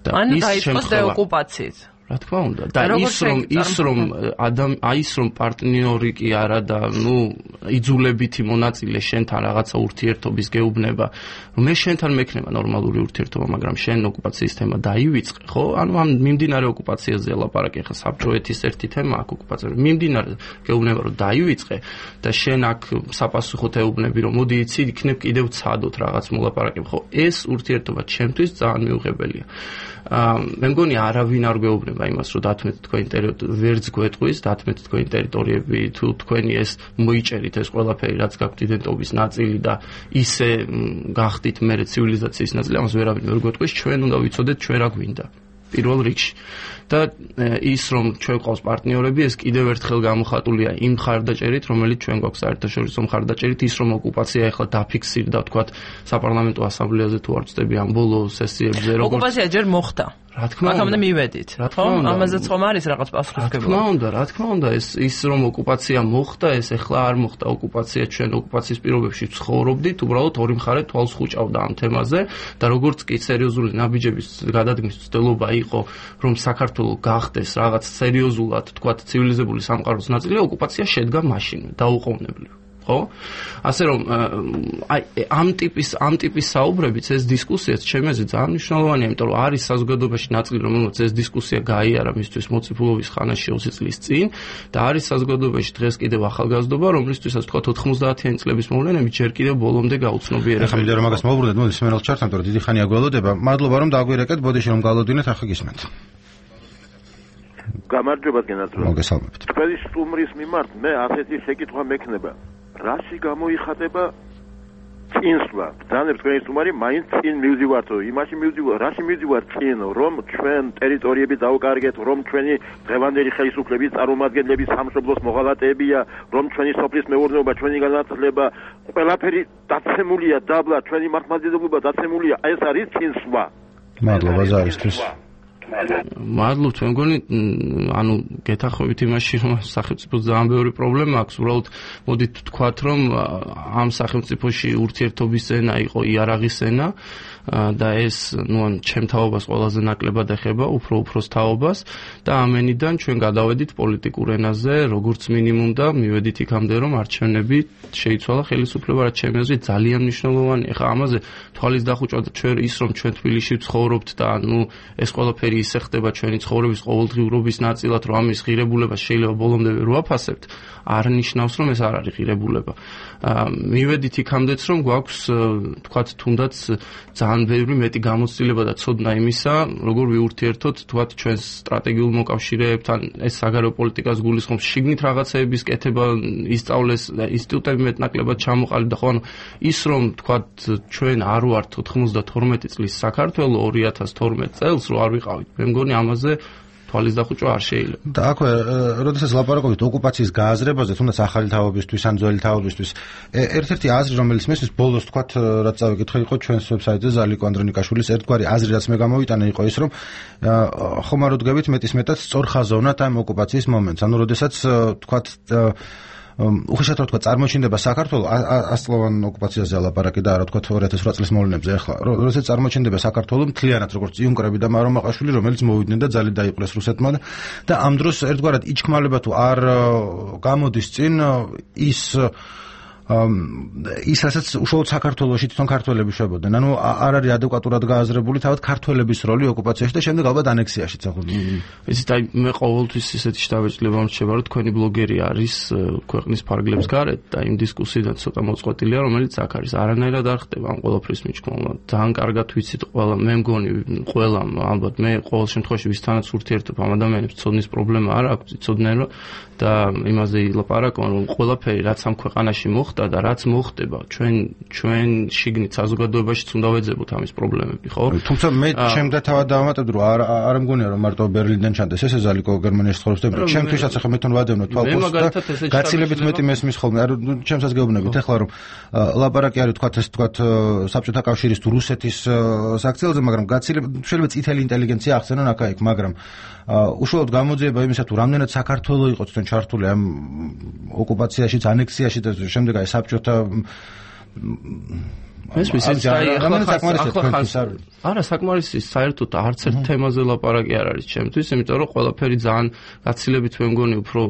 და ის დაიწყოს დეოკუპაციით. რა თქმა უნდა და ის რომ ის რომ ადამ ის რომ პარტნიორი კი არა და ნუ იძულებითი მონაწილე შენთან რაღაცა ურთიერთობის გეუბნება რომ მე შენთან მექნება ნორმალური ურთიერთობა მაგრამ შენ ოკუპაციის თემა დაივიწყე ხო ანუ ამ მიმდინარე ოკუპაციაზე ლაპარაკი ხა საბჭოეთის ერთი თემა აქ ოკუპაცია მიმდინარე გეუბნება რომ დაივიწყე და შენ აქ საპასუხოდ ეუბნები რომ მოდი იცი იქნებ კიდევ ცადოთ რაღაც მოლაპარაკებ ხო ეს ურთიერთობა ჩემთვის ძალიან მიუღებელია მე მგონი არავინ არ გვეუბნება იმას რომ დათმეთ თქვენი ტერიტორიები ვერც გვეტყვის დათმეთ თქვენი ტერიტორიები თუ თქვენი ეს მოიჭერით ეს ყველაფერი რაც გაქვთ იდენტობის ნაწილი და ისე გახდით მე ცივილიზაციის ნაწილი ამას ვერავინ ვერ გვეტყვის ჩვენ უნდა ვიცოდეთ ჩვენ რა გვინდა პირველ რიგში და ის რომ ჩვენ ყავს პარტნიორები ეს კიდევ ერთხელ გამოხატულია იმ მხარდაჭერით რომელიც ჩვენ გვაქვს საერთაშორისო მხარდაჭერით ის რომ ოკუპაცია ახლა დაფიქსირდა თქვათ საპარლამენტო ასამბლეაზე თუ არ ვწდები ამ ბოლო სესიებზე როგორც ოკუპაცია ჯერ მოხდა რა თქმა უნდა აქამდე მივედით ხო ამაზეც ხომ არის რაღაც პასუხისმგებლობა რა თქმა უნდა რა თქმა უნდა ეს ის რომ ოკუპაცია მოხდა ეს ახლა არ მოხდა ოკუპაცია ჩვენ ოკუპაციის პირობებში ცხოვრობდით უბრალოდ ორი მხარე თვალს ხუჭავდა ამ თემაზე და როგორც კი სერიოზული ნაბიჯების გადადგმის ცდილობა იყო რომ საქართველო გახდეს რაღაც სერიოზულად თქვათ ცივილიზებული სამყაროს ნაწილი ოკუპაცია შედგა მაშინვე დაუყოვნებლივ ხო ასე რომ აი ამ ტიპის ამ ტიპის საუბრებიც ეს დისკუსიაც ჩემზე ძალიან მნიშვნელოვანია იმიტომ რომ არის საზოგადოებაში ნაწილი რომელსაც ეს დისკუსია გაიარა მისთვის მოციფულობის ხანაში ოცი წლის წინ და არის საზოგადოებაში დღეს კიდევ ახალგაზრდობა რომლისთვისაც თქვა ოთხმოცდაათიანი წლების მოვლენები ჯერ კიდევ ბოლომდე გაუცნობიერებია ახლა მინდა რომ მაგას მოვუბრუნდეთ მოდი სიმერალს ჩართამთ რომ დიდი ხანია გველოდება მადლობა რომ დაგვირეკეთ ბოდიში რომ გალოდინეთ ახლა გისმენთ გამარჯობა გენათლო მოგესალმებით თქვენი სტუმრის მიმართ მე ასეთი შეკითხვა მექნება რაში გამოიხატება წინსვლა ბრძანებს თქვენი სტუმარი მაინც წინ მივდივართო იმაში მივდივარ რაში მივდივარ წინ რომ ჩვენ ტერიტორიები დავუკარგეთ რომ ჩვენი დღევანდელი ხელისუფლების წარმომადგენლები სამშობლოს მოღალატეებია რომ ჩვენი სოფლის მეურნეობა ჩვენი განათლება ყველაფერი დაცემულია დაბლა ჩვენი მართლმადიდებლობა დაცემულია ეს არის წინსვლა მადლობა ზარისთვის მადლობთ მე მგონი ანუ გეთახმებით იმაში რომ სახელმწიფოს ძალიან ბევრი პრობლემა აქვს უბრალოდ მოდით ვთქვათ რომ ამ სახელმწიფოში ურთიერთობის ენა იყო იარაღის ენა და ეს ნუ ან ჩემ თაობას ყველაზე ნაკლებად ეხება უფრო უფროს თაობას და ამენიდან ჩვენ გადავედით პოლიტიკურ ენაზე როგორც მინიმუმ და მივედით იქამდე რომ არჩევნები შეიცვალა ხელისუფლება რაც ჩემი აზრით ძალიან მნიშვნელოვანია ხა ამაზე თვალის დახუჭვა და ჩვენ ის რომ ჩვენ თბილისში ვცხოვრობთ და ნუ ეს ყველაფერი ისე ხდება ჩვენი ცხოვრების ყოველდღიურობის ნაწილად რომ ამის ღირებულება შეიძლება ბოლომდე ვერ ვაფასებთ არ ნიშნავს რომ ეს არ არის ღირებულება მივედით იქამდეც რომ გვაქვს თქვათ თუნდაც ძალიან ბევრი მეტი გამოცდილება და ცოდნა იმისა როგორ ვიურთიერთოთ თქვათ ჩვენს სტრატეგიულ მოკავშირეებთან ეს საგარეო პოლიტიკას გულისხმობს შიგნით რაღაცეების კეთება ისწავლეს ინსტიტუტები მეტნაკლებად ჩამოყალიბდა და ხო ანუ ის რომ თქვათ ჩვენ არ ვართ ოთხმოცდათორმეტი წლის საქართველო ორი ათას თორმეტ წელს რო არ ვიყავით მე მგონი ამაზე თვალის დახუჭვა არ შეიძლება. და აქვე, როდესაც ლაპარაკობთ ოკუპაციის გააზრებაზე, თუნდაც ახალი თაობისთვის ან ძველი თაობისთვის, ერთ-ერთი აზრი, რომელიც მესმის ბოლოს თქვათ, რაც წავიკითხე, იყო ჩვენს ვებსაიტზე ზალიკო ანდრონიკაშვილის ერთგვარი აზრი, რაც მე გამოვიტანე, იყო ის, რომ ხომ არ უდგებით მეტისმეტად სწორხაზოვნად ამ ოკუპაციის მომენტს. ანუ როდესაც თქვათ უხეშად რა თქვა წარმოჩინდება საქართველოს ასწლოვან ოკუპაციაზე ლაპარაკი და რა თქვა ორი ათას ოთხ წლის მოვლენებზე ახლა როდესაც წარმოჩინდება საქართველოს მთლიანად როგორც იუნკერები და მარომაყაშვილი რომელიც მოვიდნენ და ძალით დაიყურეს რუსეთმა და ამ დროს ერთგვარად იჩქმალება თუ არ გამოდის წინ ის ის რასაც უშუალოდ საქართველოში თვითონ ქართველები შვებოდნენ. ანუ არ არის ადეკვატურად გააზრებული თავად ქართველების როლი ოკუპაციაში და შემდეგ ალბათ ანექსიაშიც ახლა. იცით, აი მე ყოველთვის ისეთი შთაბეჭდილება მრჩება, რომ თქვენი ბლოგერი არის ქვეყნის ფარგლებს გარეთ და იმ დისკუსიიდან ცოტა მოწყვეტილია, რომელიც აქ არის. არანაირად არ ხდება ამ ყველაფრის მიჩქმულება. ძალიან კარგად ვიცით ყველა, მე მგონი ყველა ალბათ მე ყოველ შემთხვევაში ვისთანაც ურთიერთობ ამ ადამიანებს ცოდნის პრობლემა არ აქვს, იცოდნენ რომ და იმაზე ილაპარაკონ, რომ ყველაფერი რაც ამ ქვეყანაში მოხდა და რაც მოხდება ჩვენ ჩვენ შიგნით საზოგადოებაშიც უნდა ვეძებოთ ამის პრობლემები, ხო? თუმცა მე ჩემდა თავად დავამატებდი რომ არ არ მგონია რომ მარტო ბერლინიდან ჩანდეს ესე ზალიკო გერმანიაში ცხოვრობს და ჩემთვისაც ახლა მე თან ვადევნო თვალყოს და გაცილებით მეტი მესმის ხოლმე. არ ჩემსაც გეუბნებით ახლა რომ ლაპარაკი არის თქვათ ეს თქვათ საბჭოთა კავშირის თუ რუსეთის საქციელზე, მაგრამ გაცილებით შეიძლება წითელი ინტელიგენცია ახსენონ აქა-იქ, მაგრამ უშუალოდ გამოძიება იმისა თუ რამდენად საქართველოს იყო თვითონ ჩართული ამ ოკუპაციაში, ანექსიაში და შემდეგ აი საბჭოთა ეს ვიცი, არა საკმარისი საერთოდ არც ერთ თემაზე ლაპარაკი არ არის ჩემთვის, იმიტომ რომ ყველაფერი ძალიან გაცილებით მე მგონი უფრო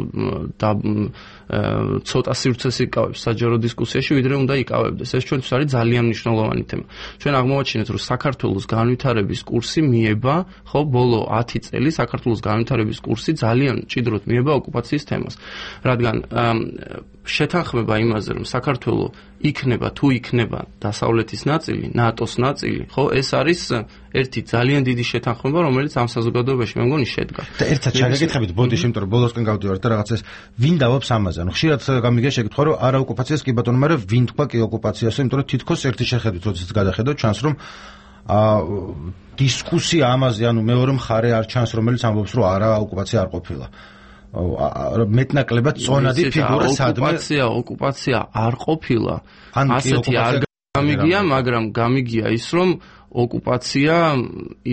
ცოტა სივრცეს იკავებს საჯარო დისკუსიაში, ვიდრე უნდა იკავებდეს. ეს ჩვენთვის არის ძალიან მნიშვნელოვანი თემა. ჩვენ აღმოვაჩინეთ, რომ საქართველოს განვითარების კურსი მიება, ხო, ბოლო ათი წელი საქართველოს განვითარების კურსი ძალიან მჭიდროდ მიება ოკუპაციის თემას. რადგან შეთანხმება იმაზე, რომ საქართველო იქნება თუ იქნება დასავლეთის ნაწილი, ნატოს ნაწილი, ხო, ეს არის ერთი ძალიან დიდი შეთანხმება, რომელიც ამ საზოგადოებაში მე მგონი შედგა. და ერთად შეგეკითხებით, ბოდიში, იმიტომ რომ ბოლოსკენ გავდივართ და რაღაცას ვინ დავობს ამაზე. ანუ ხშირად გამიგია შეკითხვა, რომ არა ოკუპაციას კი ბატონო, მაგრამ ვინ თქვა კი ოკუპაციას, იმიტომ რომ თითქოს ერთი შეხედვით, როდესაც გადახედოთ, ჩანს რომ აა დისკუსია ამაზე, ანუ მეორე მხარე არ ჩანს, რომელიც ამბობს, რომ არა ოკუპაცია არ ყოფილა. მეტნაკლებად წონადი ფიგურა სადმე ოკუპაცია ოკუპაცია არ ყოფილა ასეთი არ გამიგია, მაგრამ გამიგია ის, რომ ოკუპაცია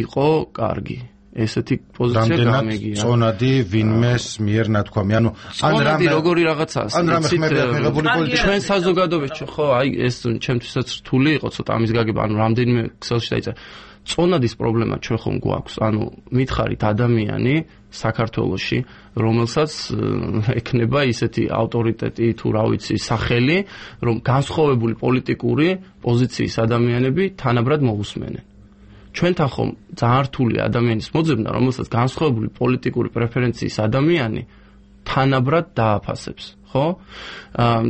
იყო კარგი. ესეთი პოზიცია გამიგია. წონადი ვინმეს მიერ ნათქვამი, ანუ ან რამე როგორი რაღაცაა. ან რამე ხმებია მიღებული პოლიტიკა. ჩვენ საზოგადოებაში ხო, აი ეს ჩემთვისაც რთული იყო ცოტა ამის გაგება, ანუ რამდენიმე ქსელში დაიწერა. წონადის პრობლემა ჩვენ ხომ გვაქვს, ანუ მითხარით ადამიანი საქართველოში, რომელსაც ექნება ისეთი ავტორიტეტი თუ რა ვიცი სახელი, რომ განსხვავებული პოლიტიკური პოზიციის ადამიანები თანაბრად მოусმენენ. ჩვენთან ხომ ძალიან რთული ადამიანის მოძებნა, რომელსაც განსხვავებული პოლიტიკური პრეფერენციის ადამიანი თანაბრად დააფასებს, ხო?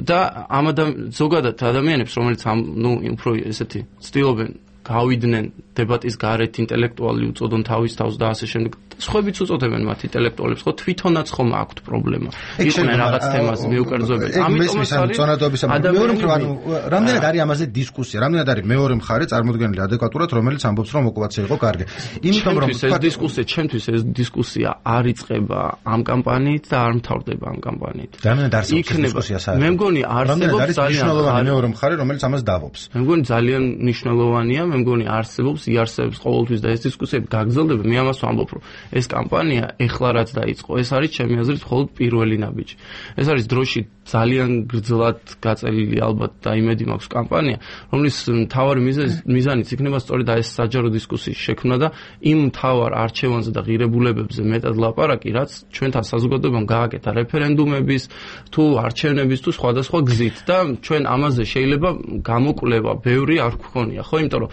და ამ ზოგადად ადამიანებს, რომელიც ამ ნუ უფრო ესეთი ცდილობენ გავიდნენ დებატის გარეთ, ინტელექტუალი უწოდონ თავის თავს და ასე შემდეგ. სხვაებიც უწოდებენ მათ ინტელექტუალებს, ხო, თვითონაც ხომ აქვთ პრობლემა. იყვნენ რაღაც თემაზე მიუკერძოებენ. ამიტომაც არის წონადობის მეორე მხრივ, ანუ რამდენად არის ამაზე დისკუსია, რამდენად არის მეორე მხარე წარმოდგენილი ადეკვატურად, რომელიც ამბობს, რომ ოკუპაცია იყო კარგი. იმიტომ რომ ეს დისკუსია, ჩემთვის ეს დისკუსია არ იწყება ამ კამპანიით და არ მთავრდება ამ კამპანიით. რამდენად არსებობს დისკუსია საერთოდ? მე მგონი არსებობს ძალიან მეორე მხარე, რომელიც ამას დავობს. მე მგონი ძალიან მნიშვნელოვანია, მე მგონი არსებობს, იარსებებს ყოველთვის და ეს დისკუსიები გაგრძელდება. მე ამას ვამბობ, რომ ეს კამპანია ეხლა რაც დაიწყო, ეს არის ჩემი აზრით მხოლოდ პირველი ნაბიჯი. ეს არის დროში ძალიან გრძლად გაწელილი ალბათ და იმედი მაქვს კამპანია, რომლის მთავარი მიზანიც იქნება სწორედ ეს საჯარო დისკუსიის შექმნა და იმ მთავარ არჩევანზე და ღირებულებებზე მეტად ლაპარაკი, რაც ჩვენთან საზოგადოებამ გააკეთა რეფერენდუმების თუ არჩევნების თუ სხვადასხვა გზით და ჩვენ ამაზე შეიძლება გამოკვლევა ბევრი არ გქონია, ხო, იმიტომ რომ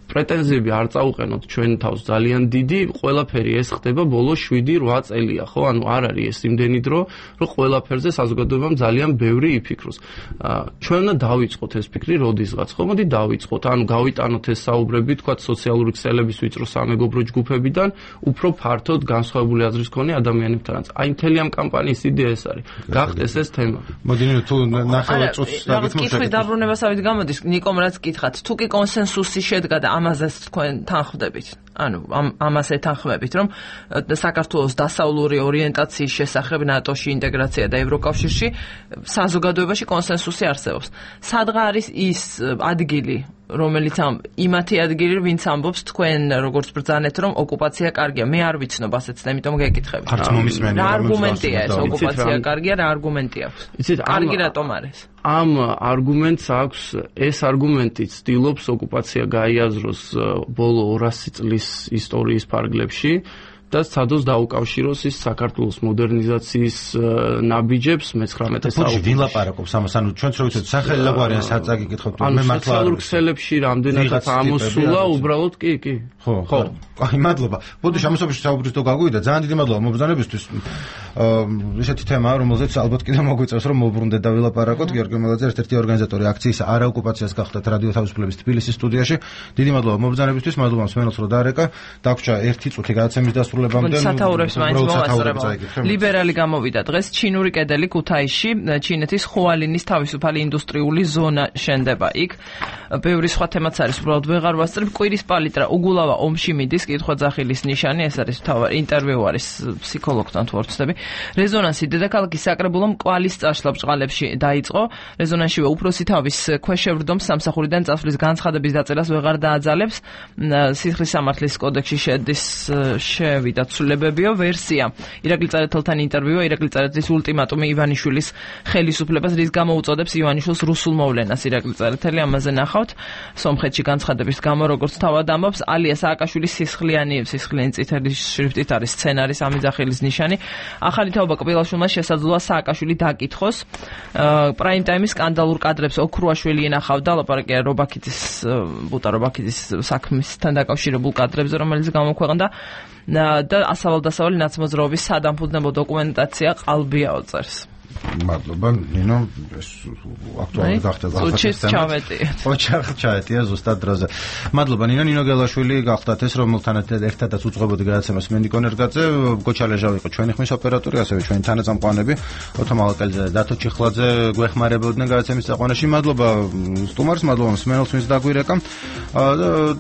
პრეტენზიები არ წაუყენოთ ჩვენ თავს ძალიან დიდი, ყველაფერი ეს ხდება ბოლო შვიდი რვა წელია, ხო? ანუ არ არის ეს იმდენი დრო, რომ ყველაფერზე საზოგადოებამ ძალიან ბევრი იფიქროს. ჩვენ უნდა დავიწყოთ ეს ფიქრი როდისღაც, ხო? მოდი დავიწყოთ, ანუ გავიტანოთ ეს საუბრები, თქვა სოციალური ქსელების ვიწრო სამეგობრო ჯგუფებიდან, უფრო ფართოდ განსხვავებული აზრის მქონე ადამიანებთანაც. აი მთელი ამ კამპანიის იდეა ეს არის. გახდეს ეს თემა. მოდი თუ ნახევარ წუთს დაგეთმოთ. კითხვის დაბრუნებასავით გამოდის, ნიკომ რაც კითხათ, თუ კი კონსენსუსი შედგა და ამაზეც თქვენ თანხმდებით. ანუ ამას ეთანხმებით, რომ საქართველოს დასავლური ორიენტაციის შესახებ ნატოში ინტეგრაცია და ევროკავშირში საზოგადოებაში კონსენსუსი არსებობს. სადღა არის ის ადგილი, რომელიც ამ იმათი ადგილი, ვინც ამბობს თქვენ როგორც ბრძანეთ, რომ ოკუპაცია კარგია. მე არ ვიცნობ ასეც და იმიტომ გეკითხები. არც მომისმენი. რა არგუმენტია ეს ოკუპაცია კარგია, რა არგუმენტი აქვს? იცით, კარგი რატომ არის? ამ არგუმენტს აქვს, ეს არგუმენტი ცდილობს ოკუპაცია გაიაზროს ბოლო ორასი წლის ისტორიის ფარგლებში და სადოს დაუკავშიროს ის საქართველოს მოდერნიზაციის ნაბიჯებს მეცხრამეტე საუკუნეში. ვინ ლაპარაკობს ამას? ანუ ჩვენც რო ვიცით, სახელი ლაგვარიან საწაგი გითხოთ, მე მართლა სოციალურ ქსელებში რამდენადაც ამოსულა, უბრალოდ კი, კი. ხო, ხო. აი, მადლობა. ბოდიში ამასობაში საუბრის თუ გაგვივიდა, ძალიან დიდი მადლობა მობრძანებისთვის. ესეთი თემაა, რომელზეც ალბათ კიდევ მოგვიწევს, რომ მოbrunდეთ და ვილაპარაკოთ. გიორგი მელაძე, ერთ-ერთი ორგანიზატორი აქციის არა ოკუპაციას გახდათ რადიო თავისუფლების თბილისის სტუდიაში. დიდი მადლობა მობრძანებისთვის, მადლობა მსმენელს, რომ დაარეკა. დაგვრჩა ერთი წუთი გადაცემის დასრულებამდე. სათაურებს მაინც მოვასწრებო. ლიბერალი გამოვიდა დღეს ჩინური კედელი ქუთაისში, ჩინეთის ხუალინის თავისუფალი ინდუსტრიული ზონა შენდება იქ. ბევრი სხვა თემაც არის, უბრალოდ ვეღარ ვასწრებ. კვირის პალიტრა უგულავა ომში მიდის, კითხვა ძახილის ნიშანი, ეს არის თავი ინტერვიუ არის ფსიქოლოგთან თუ არ ვცდები. რეზონანსი დედაქალაქის საკრებულომ კვალის წაშლა ბჭყალებში დაიწყო. რეზონანსშივე უფროსი თავის ქვეშევრდომს სამსახურიდან წასვლის განცხადების დაწერას ვეღარ დააძალებს. სიხლის სამართლის კოდექსში შედის შევი მიღწევი და ცვლილებებიო ვერსია. ირაკლი წერეთელთან ინტერვიუა ირაკლი წერეთლის ულტიმატუმი ივანიშვილის ხელისუფლებას, რის გამო უწოდებს ივანიშვილს რუსულ მოვლენას. ირაკლი წერეთელი ამაზე ნახავთ. სომხეთში განცხადების გამო, როგორც თავად ამბობს, ალია სააკაშვილის სისხლიანი სისხლიანი წითელი შრიფტით არის სცენარის ამიძახილის ნიშანი. ახალი თაობა კბილაშვილმა შესაძლოა სააკაშვილი დაკითხოს. პრაიმ ტაიმის სკანდალურ კადრებს ოქრუაშვილი ენახავდა, ლაპარაკია რობაქიძის ბუტა რობაქიძის საქმისთან დაკავშირებულ კადრებზე, რომელიც გამოქვეყნდა და ასავალ-დასავალი ნაცმოძრაობის სადამფუძნებლო დოკუმენტაცია ყალბიაო წერს. მადლობა ნინო, ეს აქტუალური გახდა გახდა ჩავეტი. ოჩახ ჩაეტია ზუსტად დროზე. მადლობა ნინო, ნინო გელაშვილი გახდათ ეს, რომელთან ერთადაც უძღვებოდი გადაცემას მენდიკო ნერგაძე, გოჩალეჟა იყო ჩვენი ხმის ოპერატორი, ასევე ჩვენი თანაწამყვანები, ოთო მალაკელიძე და დათო ჩიხლაძე გვეხმარებოდნენ გადაცემის წაყვანაში. მადლობა სტუმარს, მადლობა მსმენელს, ვინც დაგვირეკა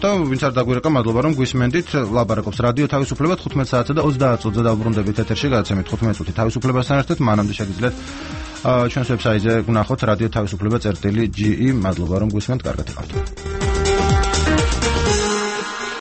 და ვინც არ დაგვირეკა, მადლობა რომ გვისმენდით. ლაპარაკობს რადიო თავისუფლება თხუთმეტ საათსა და ოცდაათ წუთზე დავბრუნდებით ეთერში გადაცემით თხუთმეტ წუთი თავისუფლებასთან ერთად. მანამდე შეგიძლიათ ჩვენს ვებსაიტზე ვნახოთ რადიო თავისუფლება წერტილი ჯი ი. მადლობა რომ გვისმენთ, კარგად იყავთ.